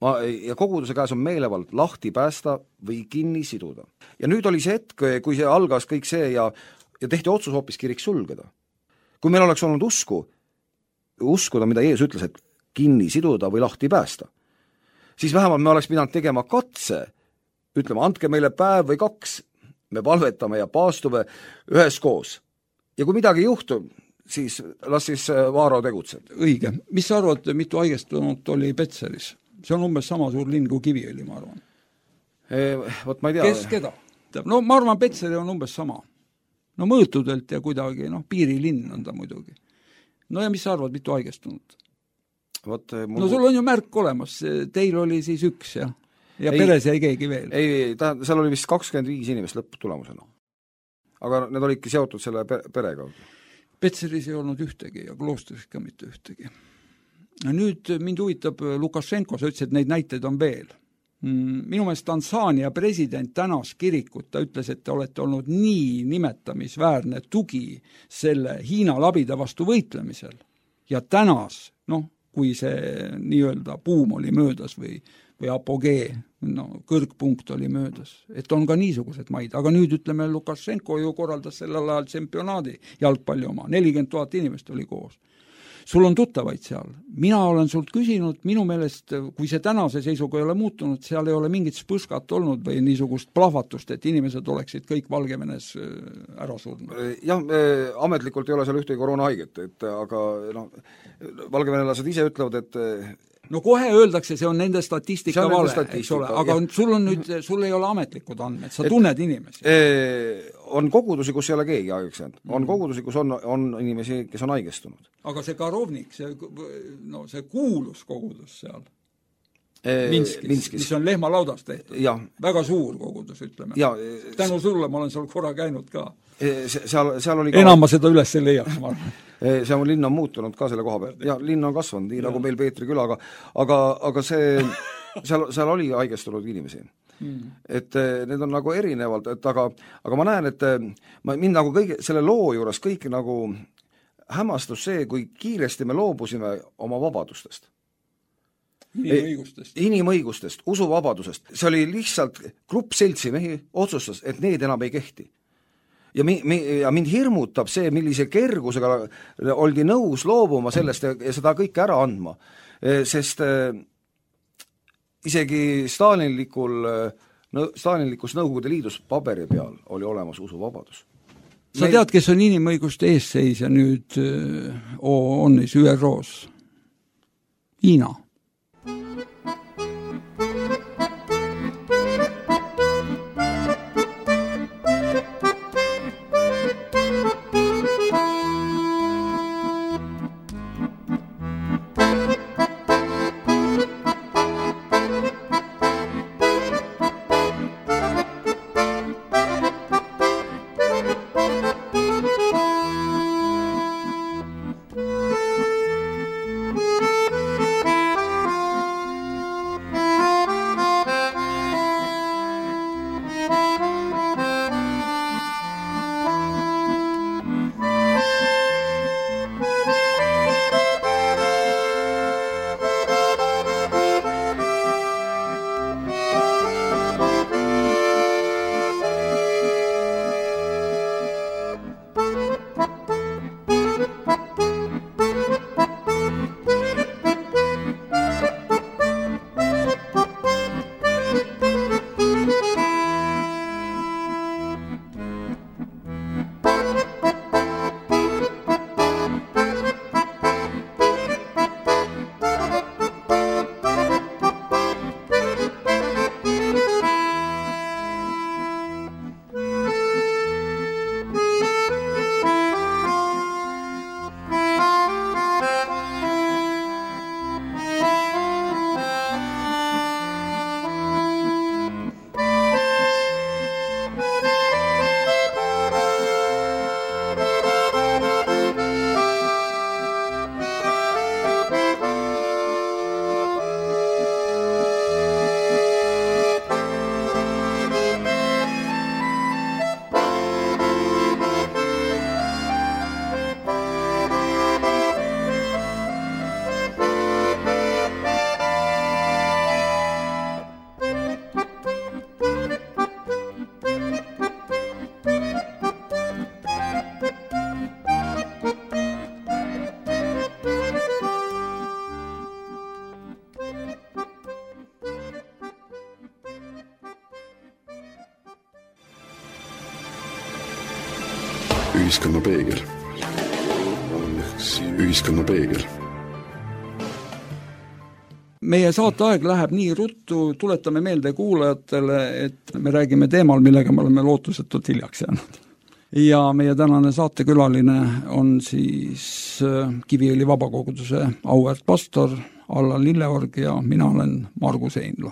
ja koguduse käes on meelevald lahti päästa või kinni siduda. Ja nüüd oli see hetk, kui see algas kõik see ja tehti otsus hoopis kirik sulgeda. Kui meil oleks olnud uskuda, mida Jeesus ütles, et kinni siduda või lahti päästa, siis vähemalt me oleks pidanud tegema katse, ütlema, andke meile päev või 2, me palvetame ja paastume üheskoos. Ja kui midagi juhtub, siis las siis Vaaro tegutseb. Õige. Mis sa arvad, mitu haigestunut oli Petseris? See on umbes sama suur linn kui Kiviõli, ma arvan. Vot ma ei tea. Kes keda? No ma arvan, Petseri on umbes sama. No mõõtudelt ja kuidagi, piirilinn on ta muidugi. No ja mis sa arvad, mitu haigestunut? No sul on ju märk olemas, teil oli siis 1 ja peres jäi keegi veel. Ei, seal oli vist 25 inimest lõpptulemusena. Aga need olidki seotud selle perega. Petseris ei olnud ühtegi ja kloostris ka mitte ühtegi. Nüüd mind huvitab Lukašenko, sa ütlesid, et neid näiteid on veel. Minu meelest Tansaania president tänas kirikut, ta ütles, et te olete olnud nii nimetamisväärne tugi selle Hiina labida vastu võitlemisel. Ja tänas, kui see nii-öelda buum oli möödas või apogee, kõrgpunkt oli möödas, et on ka niisugused maid. Aga nüüd ütleme, Lukašenko ju korraldas sellel ajal tsempionaadi jalgpalli oma, 40 000 inimest oli koos. Sul on tuttavaid seal. Mina olen sult küsinud, minu meelest, kui see tänase seisuga ei ole muutunud, seal ei ole mingit spõskat olnud või niisugust plahvatust, et inimesed oleksid kõik Valgevenes ära surnud. Jah, ametlikult ei ole seal ühtegi koroonahaiget, aga valgevenelased ise ütlevad, et no kohe öeldakse, see on nende statistika vale, eks ole, aga sul ei ole ametlikud andmed, sa tunned inimesi. On kogudusi, kus ei ole keegi haigestunud. On kogudusi, kus on inimesi, kes on haigestunud. Aga see Karovnik, see kuulus kogudus seal Minskis, mis on lehmalaudast tehtud. Väga suur kogudus, ütleme. Tänu sulle ma olen seal korra käinud ka. Seal oli enam ma seda üles ei leiaks, ma arvan. See linn on muutunud ka selle koha peal. Ja linn on kasvanud, nii nagu meil Peetri külaga. Aga seal oli haigestunud inimesi. Et need on nagu erinevalt, aga ma näen, et mind nagu selle loo juures kõik nagu hämmastus see, kui kiiresti me loobusime oma vabadustest. Inimõigustest, usuvabadusest. See oli lihtsalt grupp seltsimehi otsustas, et need enam ei kehti. Ja mind hirmutab see, millise kergusega oldi nõus loobuma sellest ja seda kõike ära andma. Sest isegi Stalinlikus Nõukogude Liidus paberi peal oli olemas usuvabadus. Sa tead, kes on inimõiguste eesseisja nüüd OON-is, ÜRO-s? Hiina. ühiskonna peegel. Ühiskonna peegel. Meie saateaeg läheb nii ruttu, tuletame meelde kuulajatele, et me räägime teemal, millega me oleme lootusetult hiljaks jäänud. Ja meie tänane saatekülaline on siis Kiviõli vabakoguduse auväärt pastor Allan Lilleorg ja mina olen Margus Einlo.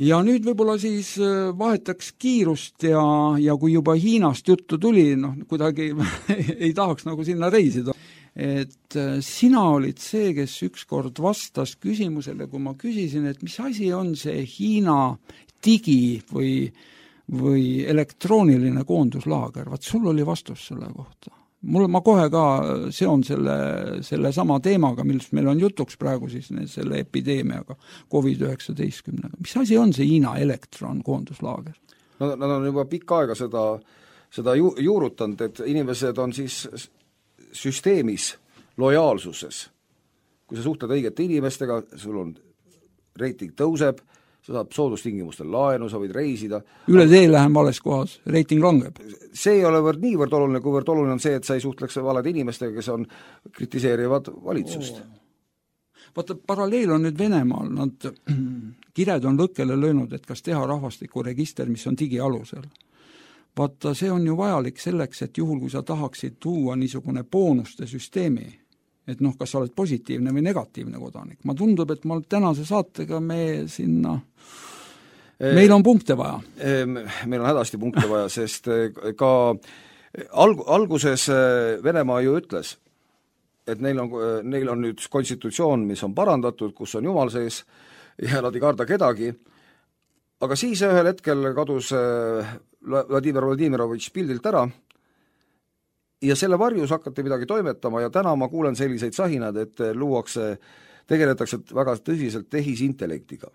Ja nüüd võib-olla siis vahetaks kiirust ja kui juba Hiinast juttu tuli, kuidagi ei tahaks nagu sinna reisida. Et sina olid see, kes ükskord vastas küsimusele, kui ma küsisin, et mis asi on see Hiina digi või elektrooniline koonduslaager. Vaat sul oli vastus selle kohta. Ma kohe ka seon selle sama teemaga, millest meil on jutuks praegu siis selle epideemiaga, COVID-19. Mis asi on see Hiina elektronkoonduslaager? Nad on juba pikka aega seda juurutanud, et inimesed on siis süsteemis lojaalsuses. Kui sa suhtled õigete inimestega, sul on reiting tõuseb, sa saad soodustingimustel laenu, sa võid reisida. Üle tee lähen vales kohas, reiting langeb. See ei ole niivõrd oluline, kuivõrd oluline on see, et sa ei suhtleks valede inimestega, kes kritiseerivad valitsust. Vaata, paralleel on nüüd Venemaal, nad kired on lõkkele löönud, et kas teha rahvastikuregister, mis on digialusel. Vaata, see on ju vajalik selleks, et juhul, kui sa tahaksid tuua niisugune boonuste süsteemi, et kas sa oled positiivne või negatiivne kodanik. Ma tundub, et tänase saatega meil on punkte vaja. Meil on hädasti punkte vaja, sest ka alguses Venemaa ju ütles, et neil on nüüd konstitutsioon, mis on parandatud, kus on Jumal sees ja nad ei karda kedagi, aga siis ühel hetkel kadus Vladimir Vladimirovitš pildilt ära ja selle varjus hakati midagi toimetama ja täna ma kuulen selliseid sahinad, et tegeletakse väga tõsiselt tehisintellektiga.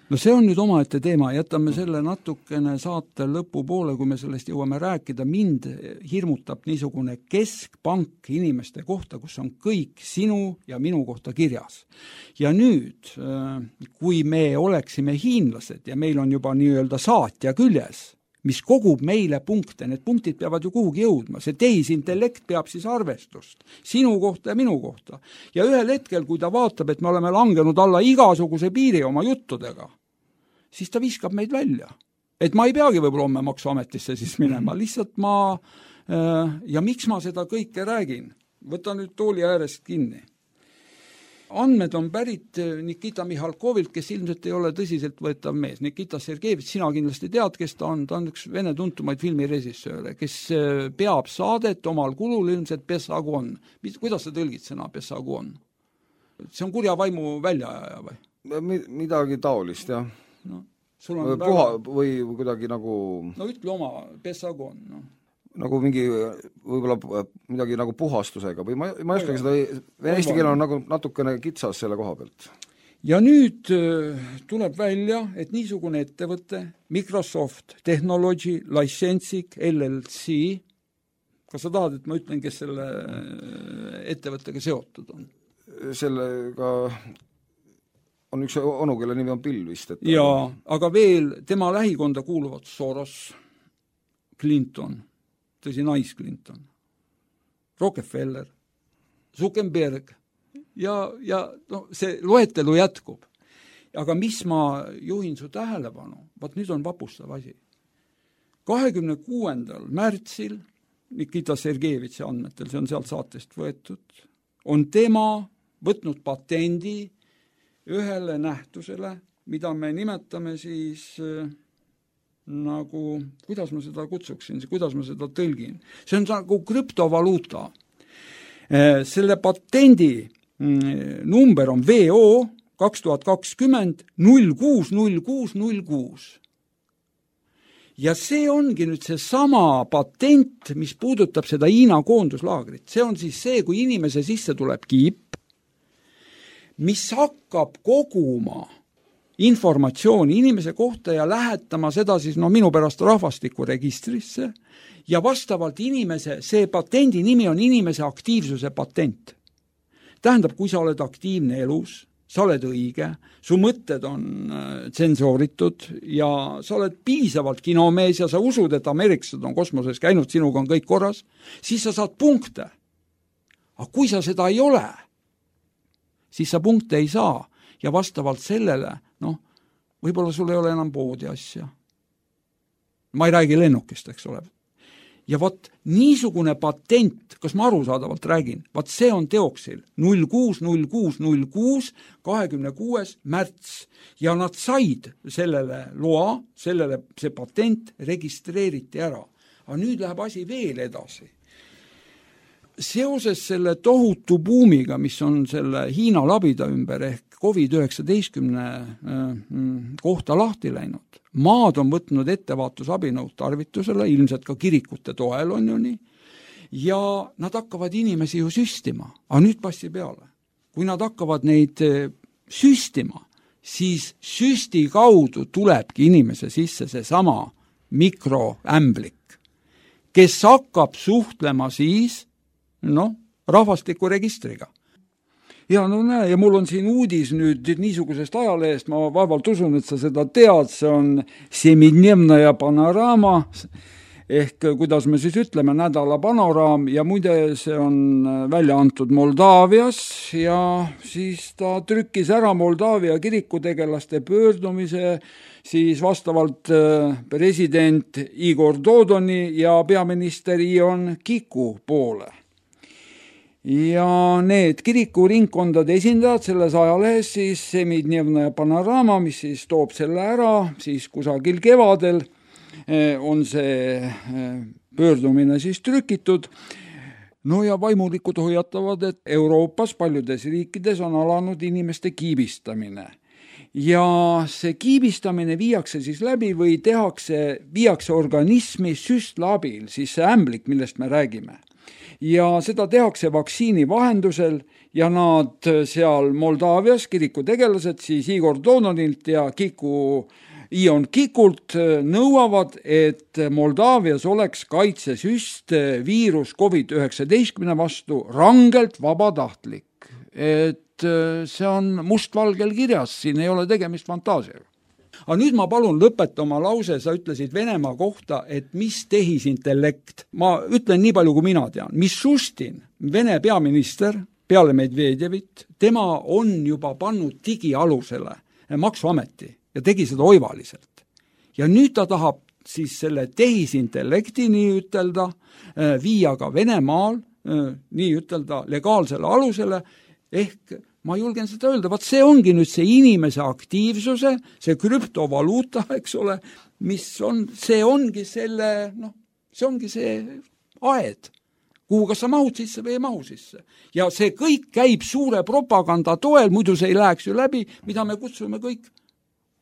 No see on nüüd omaette teema, jätame selle natukene saate lõpupoole, kui me sellest jõuame rääkida. Mind hirmutab niisugune keskpank inimeste kohta, kus on kõik sinu ja minu kohta kirjas. Ja nüüd, kui me oleksime hiinlased ja meil on juba nii-öelda saatja küljes, mis kogub meile punkte, need punktid peavad ju kuhugi jõudma, see tehisintellekt peab siis arvestust sinu kohta ja minu kohta. Ja ühel hetkel, kui ta vaatab, et me oleme langenud alla igasuguse piiri oma juttudega, siis ta viskab meid välja. Et ma ei peagi võib-olla homme maksuametisse siis minema, lihtsalt ja miks ma seda kõike räägin? Võta nüüd tooli äärest kinni. Andmed on pärit Nikita Mihhalkovilt, kes ilmselt ei ole tõsiselt võetav mees. Nikita Sergejevitš, sina kindlasti tead, kes ta on üks Vene tuntumaid filmirežissööre, kes peab saadet omal kulul ilmselt Pessagon. Kuidas sa tõlgid sõna Pessagon? See on kurja vaimu väljaajaja või? Midagi taolist, jah. Sul on või kuidagi nagu... No ütle oma Pessagon, nagu mingi võib-olla midagi nagu puhastusega või ma ei oskagi seda, eesti keel on nagu natukene kitsas selle koha pealt. Ja nüüd tuleb välja, et niisugune ettevõte, Microsoft Technology Licensing LLC, kas sa tahad, et ma ütlen, kes selle ettevõttega seotud on? Sellega on üks onu, kelle nimi on Bill vist. Jaa, aga veel tema lähikonda kuuluvad Soros, Clinton, tõsi Nice Clinton, Rockefeller, Zuckerberg ja see loetelu jätkub. Aga mis ma juhin su tähelepanu, vaat nüüd on vapustav asi. 26. märtsil Nikita Sergejevitši andmetel, see on sealt saatest võetud, on tema võtnud patendi ühele nähtusele, mida me nimetame siis nagu, kuidas ma seda kutsuksin, kuidas ma seda tõlgin. See on nagu krüptovaluuta. Selle patendi number on VO 2020 060606. Ja see ongi nüüd see sama patent, mis puudutab seda Hiina koonduslaagrit. See on siis see, kui inimese sisse tuleb kiip, mis hakkab koguma informatsiooni inimese kohta ja lähetama seda siis minu pärast rahvastikuregistrisse ja vastavalt inimese, see patendi nimi on inimese aktiivsuse patent. Tähendab, kui sa oled aktiivne elus, sa oled õige, su mõtted on tsensooritud ja sa oled piisavalt kinomees ja sa usud, et ameeriklased on kosmoses käinud, sinuga on kõik korras, siis sa saad punkte. Aga kui sa seda ei ole, siis sa punkte ei saa ja vastavalt sellele, võib-olla sul ei ole enam poodi asja. Ma ei räägi lennukist, eks ole. Ja vot niisugune patent, kas ma arusaadavalt räägin, vot see on teoksil 060606 26. märts ja nad said sellele loa, see patent registreeriti ära. Aga nüüd läheb asi veel edasi. Seoses selle tohutu buumiga, mis on selle Hiina labida ümber ehk COVID-19 kohta lahti läinud, maad on võtnud ettevaatusabinõud tarvitusele, ilmselt ka kirikute toel on ju nii, ja nad hakkavad inimesi ju süstima. Aga nüüd passi peale. Kui nad hakkavad neid süstima, siis süsti kaudu tulebki inimese sisse seesama mikroämblik, kes hakkab suhtlema siis rahvastikuregistriga. Ja näe, ja mul on siin uudis nüüd niisugusest ajalehest, ma vaevalt usun, et sa seda tead, see on Semidnevnaja Panorama, ehk kuidas me siis ütleme, nädala panoraam, ja muide see on välja antud Moldaavias ja siis ta trükkis ära Moldaavia kirikutegelaste pöördumise siis vastavalt president Igor Dodoni ja peaminister Ion Kiku poole. Ja need kirikuringkondade esindajad selles ajalehes siis Semidnevnaja Panorama, mis siis toob selle ära, siis kusagil kevadel on see pöördumine siis trükitud. Ja vaimulikud hoiatavad, et Euroopas paljudes riikides on alanud inimeste kiibistamine. Ja see kiibistamine viiakse siis läbi või viiakse organismi süstla abil, siis see ämblik, millest me räägime. Ja seda tehakse vaktsiini vahendusel ja nad seal Moldaavias kirikutegelased siis Igor Dodonilt ja Ion Kikult nõuavad, et Moldaavias oleks kaitsesüst viirus COVID-19 vastu rangelt vabatahtlik. Et see on mustvalgel kirjas, siin ei ole tegemist fantaasiaga. Aga nüüd ma palun lõpeta oma lause, sa ütlesid Venemaa kohta, et mis tehisintellekt. Ma ütlen nii palju, kui mina tean. Mishustin, Vene peaminister, peale Medvedjevit, tema on juba pannud digialusele maksuameti ja tegi seda oivaliselt. Ja nüüd ta tahab siis selle tehisintellekti nii ütelda viia ka Venemaal nii ütelda legaalsele alusele ehk ma julgen seda öelda, vaat see ongi nüüd see inimese aktiivsuse, see krüptovaluuta, eks ole, mis on, see ongi selle, see ongi see aed, kuhu kas sa mahud sisse või ei mahu sisse. Ja see kõik käib suure propaganda toel, muidu see ei läheks ju läbi, mida me kutsume kõik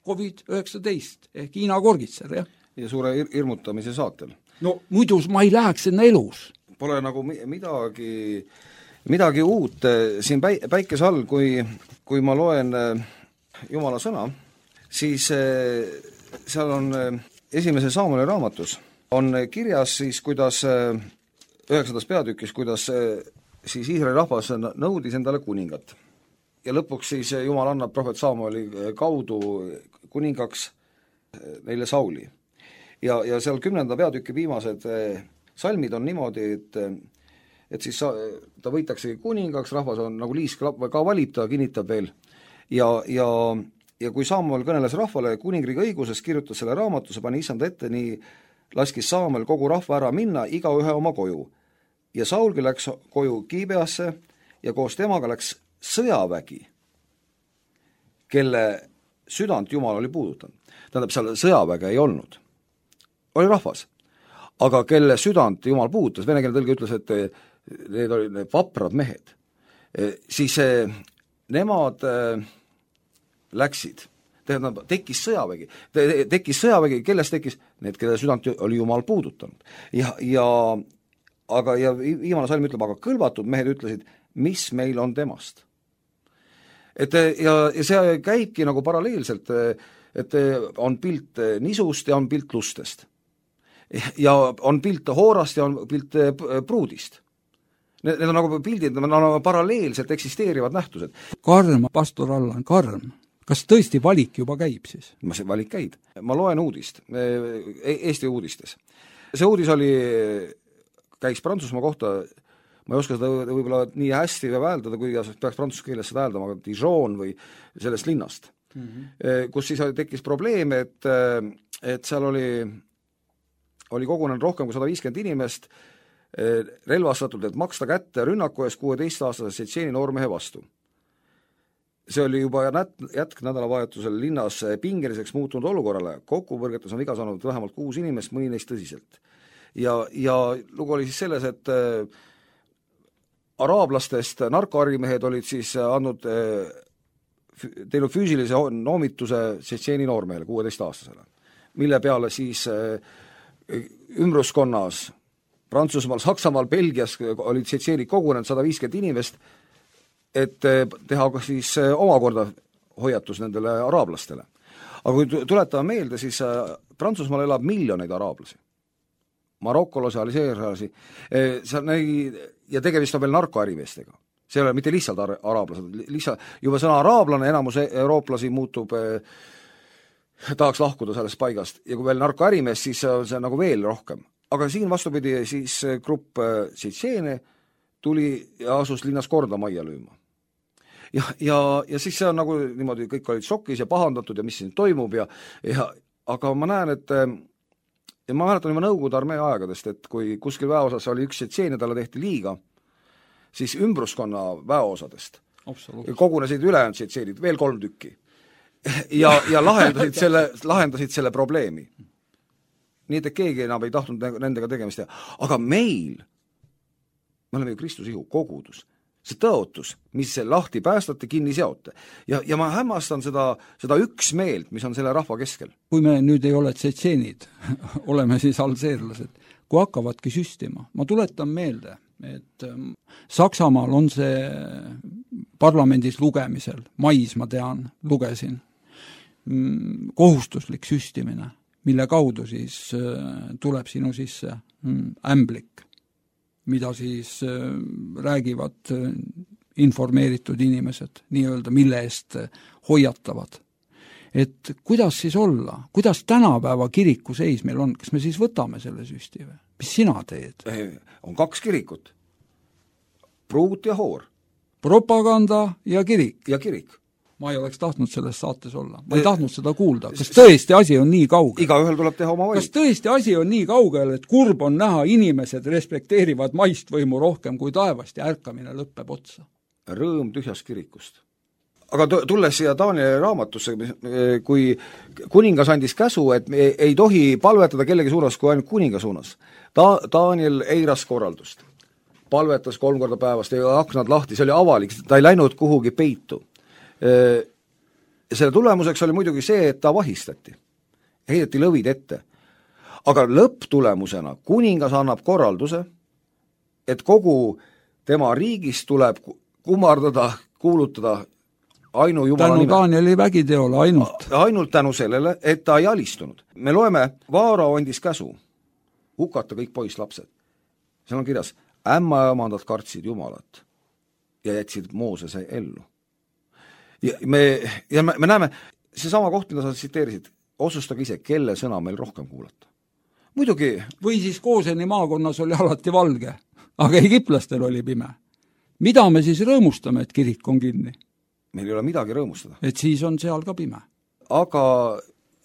COVID-19 ehk Hiina korgitser, jah. Ja suure hirmutamise saatel. No muidu ma ei läheks sinna elus. Pole nagu midagi uut siin päikese all, kui ma loen Jumala sõna, siis seal on esimese Saamuli raamatus on kirjas siis, kuidas 9. peatükis, kuidas siis Iisraeli rahvas nõudis endale kuningat. Ja lõpuks siis Jumal annab prohvet Saamuli kaudu kuningaks neile Sauli. Ja seal 10. peatüki viimased salmid on niimoodi, et siis ta võitaksegi kuningaks, rahvas on nagu liisk ka valib, ta kinnitab veel. Ja kui Saamuel kõneles rahvale kuningriigi õigusest, kirjutas selle raamatuse, pani issand ette, nii laskis Saamuel kogu rahva ära minna, iga ühe oma koju. Ja Saulgi läks koju Kiibeasse ja koos temaga läks sõjavägi, kelle südant Jumal oli puudutanud. Tähendab, seal sõjaväge ei olnud. Oli rahvas. Aga kelle südant Jumal puudutas, venekeelne tõlge ütles, et need olid need vaprad mehed, siis nemad läksid, tekkis sõjavägi, kellest tekkis? Need, kelle südant oli Jumal puudutanud. Aga viimane salm ütleb, aga kõlvatud mehed ütlesid, mis meil on temast. Ja see käibki nagu paralleelselt, et on pilt nisust ja on pilt lustest. Ja on pilt hoorast ja on pilt pruudist. Need on nagu pildid, need on paralleelselt eksisteerivad nähtused. Karm, pastor Allan, karm. Kas tõesti valik juba käib siis? See valik käib. Ma loen uudist, Eesti uudistes. See uudis käis Prantsusmaa kohta, ma ei oska seda võib-olla nii hästi väeldada, kui peaks prantsuse keeles seda hääldama, aga Dijon või sellest linnast, kus siis tekkis probleem, et seal oli kogunenud rohkem kui 150 inimest relvastatult, et maksta kätte rünnaku eest 16-aastase Tšetšeeni noormehe vastu. See oli juba jätk nädalavahetusel linnas pingeliseks muutunud olukorrale. Kokkupõrgetes on viga saanud vähemalt 6 inimest, mõni neist tõsiselt. Ja lugu oli siis selles, et araablastest narkoarimehed olid siis teinud füüsilise noomituse Tšetšeeni noormehele, 16-aastasele, mille peale siis ümbruskonnas Prantsusmaal, Saksamaal, Belgias olid Tšetšeenid kogunenud 150 inimest, et teha siis omakorda hoiatus nendele araablastele. Aga kui tuletame meelde, siis Prantsusmaal elab miljoneid araablasi, marokolasi, alžeerlasi, ja tegemist on veel narkoärimeestega. See ei ole mitte lihtsalt araablased, juba sõna araablane, enamus eurooplasi muutub, tahaks lahkuda sellest paigast, ja kui veel narkoärimees, siis see nagu veel rohkem. Aga siin vastupidi siis grupp Tšetšeene tuli ja asus linnas korda majja lööma. Ja siis see on nagu niimoodi, kõik olid šokis ja pahandatud ja mis siin toimub aga ma näen, et ja ma mäletan juba Nõukogude armee aegadest, et kui kuskil väeosas oli üks Tšetšeen ja talle tehti liiga, siis ümbruskonna väeosadest kogunesid ülejäänud Tšetšeenid, veel 3 tükki ja lahendasid selle probleemi. Nii et keegi enam ei tahtnud nendega tegemist teha. Aga me oleme ju Kristuse ihu, kogudus, see tõotus, mis lahti päästate, kinni seote. Ja ma hämmastan seda üksmeelt, mis on selle rahva keskel. Kui me nüüd ei ole tšetšeenid, oleme siis alžeerlased, kui hakkavadki süstima. Ma tuletan meelde, et Saksamaal on see parlamendis lugemisel, mais ma tean, lugesin, kohustuslik süstimine, mille kaudu siis tuleb sinu sisse ämblik, mida siis räägivad informeeritud inimesed, nii-öelda, mille eest hoiatavad. Et kuidas siis olla? Kuidas tänapäeva kiriku seis meil on? Kas me siis võtame selle süsti või? Mis sina teed? On 2 kirikut. Pruut ja Hoor. Propaganda ja kirik. Ja kirik. Ma ei oleks tahtnud selles saates olla. Ma ei tahtnud seda kuulda. Kas tõesti asi on nii kaugel? Igaühel tuleb teha oma valik. Kas tõesti asi on nii kaugel, et kurb on näha, inimesed respekteerivad maist võimu rohkem kui taevast ja ärkamine lõppeb otsa? Rõõm tühjast kirikust. Aga tulles siia Danieli raamatusse, kui kuningas andis käsu, et ei tohi palvetada kellegi suunas kui ainult kuninga suunas. Daniel eiras korraldust. Palvetas 3 korda päevast, ei aknad lahti, see oli avalik, ta ei läinud kuhugi peitu. Selle tulemuseks oli muidugi see, et ta vahistati. Heideti lõvid ette. Aga lõpptulemusena kuningas annab korralduse, et kogu tema riigis tuleb kummardada, kuulutada ainu Jumala nime. Tänu Danieli vägiteole ainult. Ainult tänu sellele, et ta ei alistunud. Me loeme, Vaarao andis käsu hukata kõik poisslapsed. Seal on kirjas, ämma ja omandad kartsid Jumalat ja jätsid Moosese ellu. Ja me näeme, see sama koht, mida sa tsiteerisid, otsustage ise, kelle sõna meil rohkem kuulata. Muidugi. Või siis Kooseni maakonnas oli alati valge, aga egiplastel oli pime. Mida me siis rõõmustame, et kirik on kinni? Meil ei ole midagi rõõmustada. Et siis on seal ka pime. Aga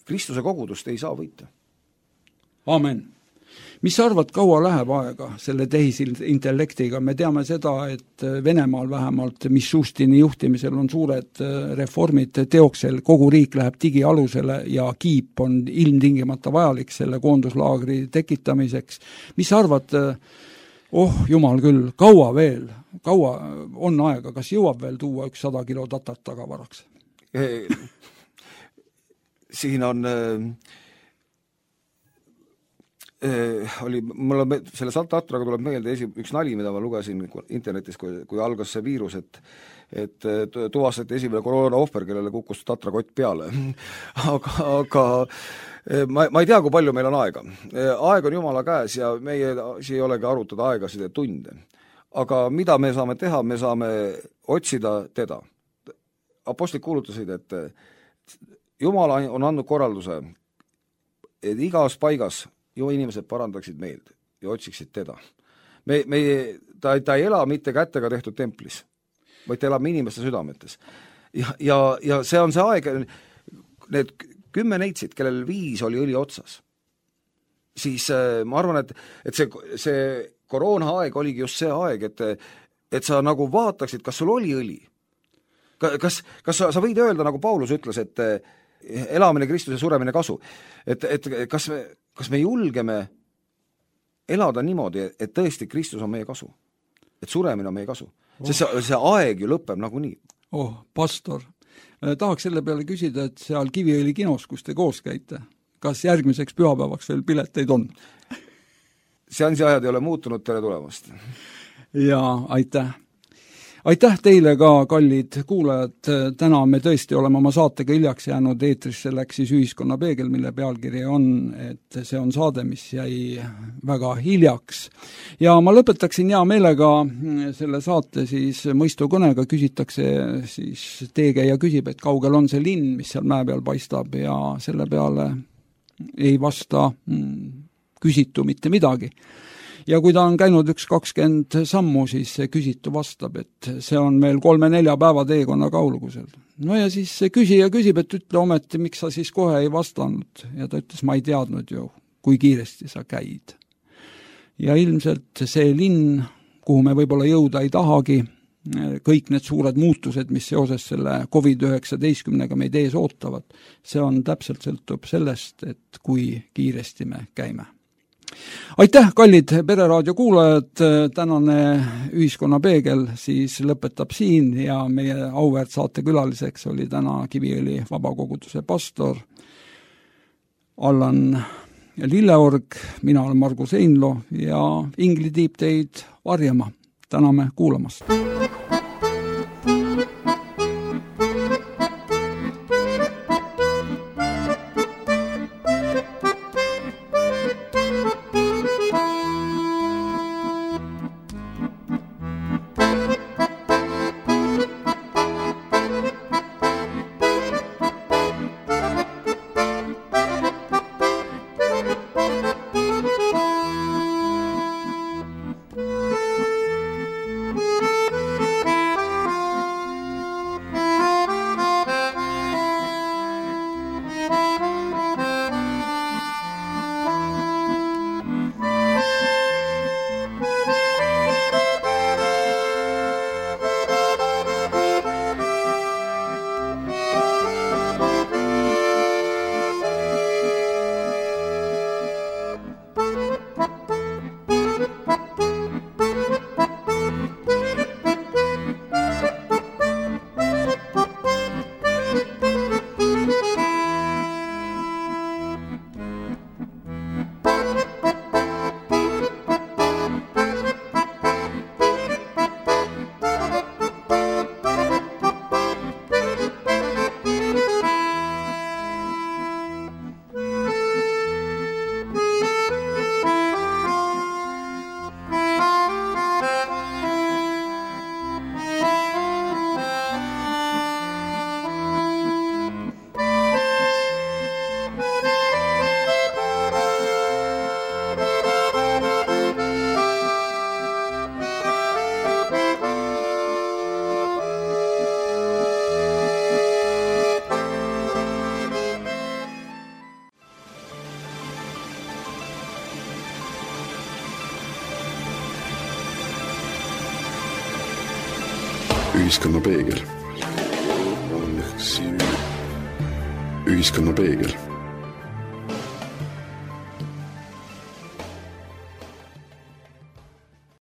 Kristuse kogudust ei saa võita. Amen. Mis sa arvad, kaua läheb aega selle tehisintellektiga? Me teame seda, et Venemaal vähemalt Mishustini juhtimisel on suured reformid teoksel, kogu riik läheb digialusele ja kiip on ilmtingimata vajalik selle koonduslaagri tekitamiseks. Mis sa arvad, jumal küll, kaua veel? Kaua on aega? Kas jõuab veel tuua 100 kilo tatat tagavaraks? Siin on mulle selle tatraga tuleb meelde üks nali, mida ma lugesin internetis, kui algas see viirus, et tuvastati esimene koroona ohver, kellele kukkus tatrakott peale. aga ma ei tea, kui palju meil on aega. Aeg on Jumala käes ja meie ei olegi arutada aegasid ja tunde. aga mida me saame teha, me saame otsida teda. Apostlid kuulutasid, et Jumal on andnud korralduse, et igas paigas ju inimesed parandaksid meelt ja otsiksid teda. Ta ei ela mitte kätega tehtud templis, vaid ta elab inimeste südametes. Ja see on see aeg, need 10 neitsid, kellel 5 oli õli otsas, siis ma arvan, et see koroona aeg oligi just see aeg, et sa nagu vaataksid, kas sul oli õli. Kas sa võid öelda, nagu Paulus ütles, et elamine Kristuse suremine kasu, et kas me julgeme elada niimoodi, et tõesti Kristus on meie kasu, et suremine on meie kasu, sest see aeg ju lõpeb nagunii. Pastor, tahaks selle peale küsida, et seal Kiviõli kinos, kus te koos käite, kas järgmiseks pühapäevaks veel pileteid on? Seansi ajad ei ole muutunud, tere tulemast. Ja aitäh. Aitäh teile ka, kallid kuulajad, täna me tõesti oleme oma saatega hiljaks jäänud, eetrisse läks siis Ühiskonna peegel, mille pealkiri on, et see on saade, mis jäi väga hiljaks. Ja ma lõpetaksin hea meelega selle saate siis mõistukõnega, küsitakse siis teekäija küsib, et kaugel on see linn, mis seal mäe peal paistab ja selle peale ei vasta küsitu mitte midagi. Ja kui ta on käinud 20 sammu, siis see küsitu vastab, et see on meil 3-4 päeva teekonna kaulugusel. No ja siis see küsija küsib, et ütle ometi, miks sa siis kohe ei vastanud. Ja ta ütles, ma ei teadnud ju, kui kiiresti sa käid. Ja ilmselt see linn, kuhu me võib-olla jõuda ei tahagi, kõik need suured muutused, mis seoses selle COVID-19 meid ees ootavad, see on täpselt sõltub sellest, et kui kiiresti me käime. Aitäh, kallid Pereraadio kuulajad, tänane Ühiskonna peegel siis lõpetab siin ja meie auväärt saatekülaliseks oli täna Kiviõli vabakoguduse pastor Allan Lilleorg, mina olen Margus Einlo ja Ingli tiib teid varjama. Täname kuulamast. Ühiskonna peegel. Ühiskonna peegel.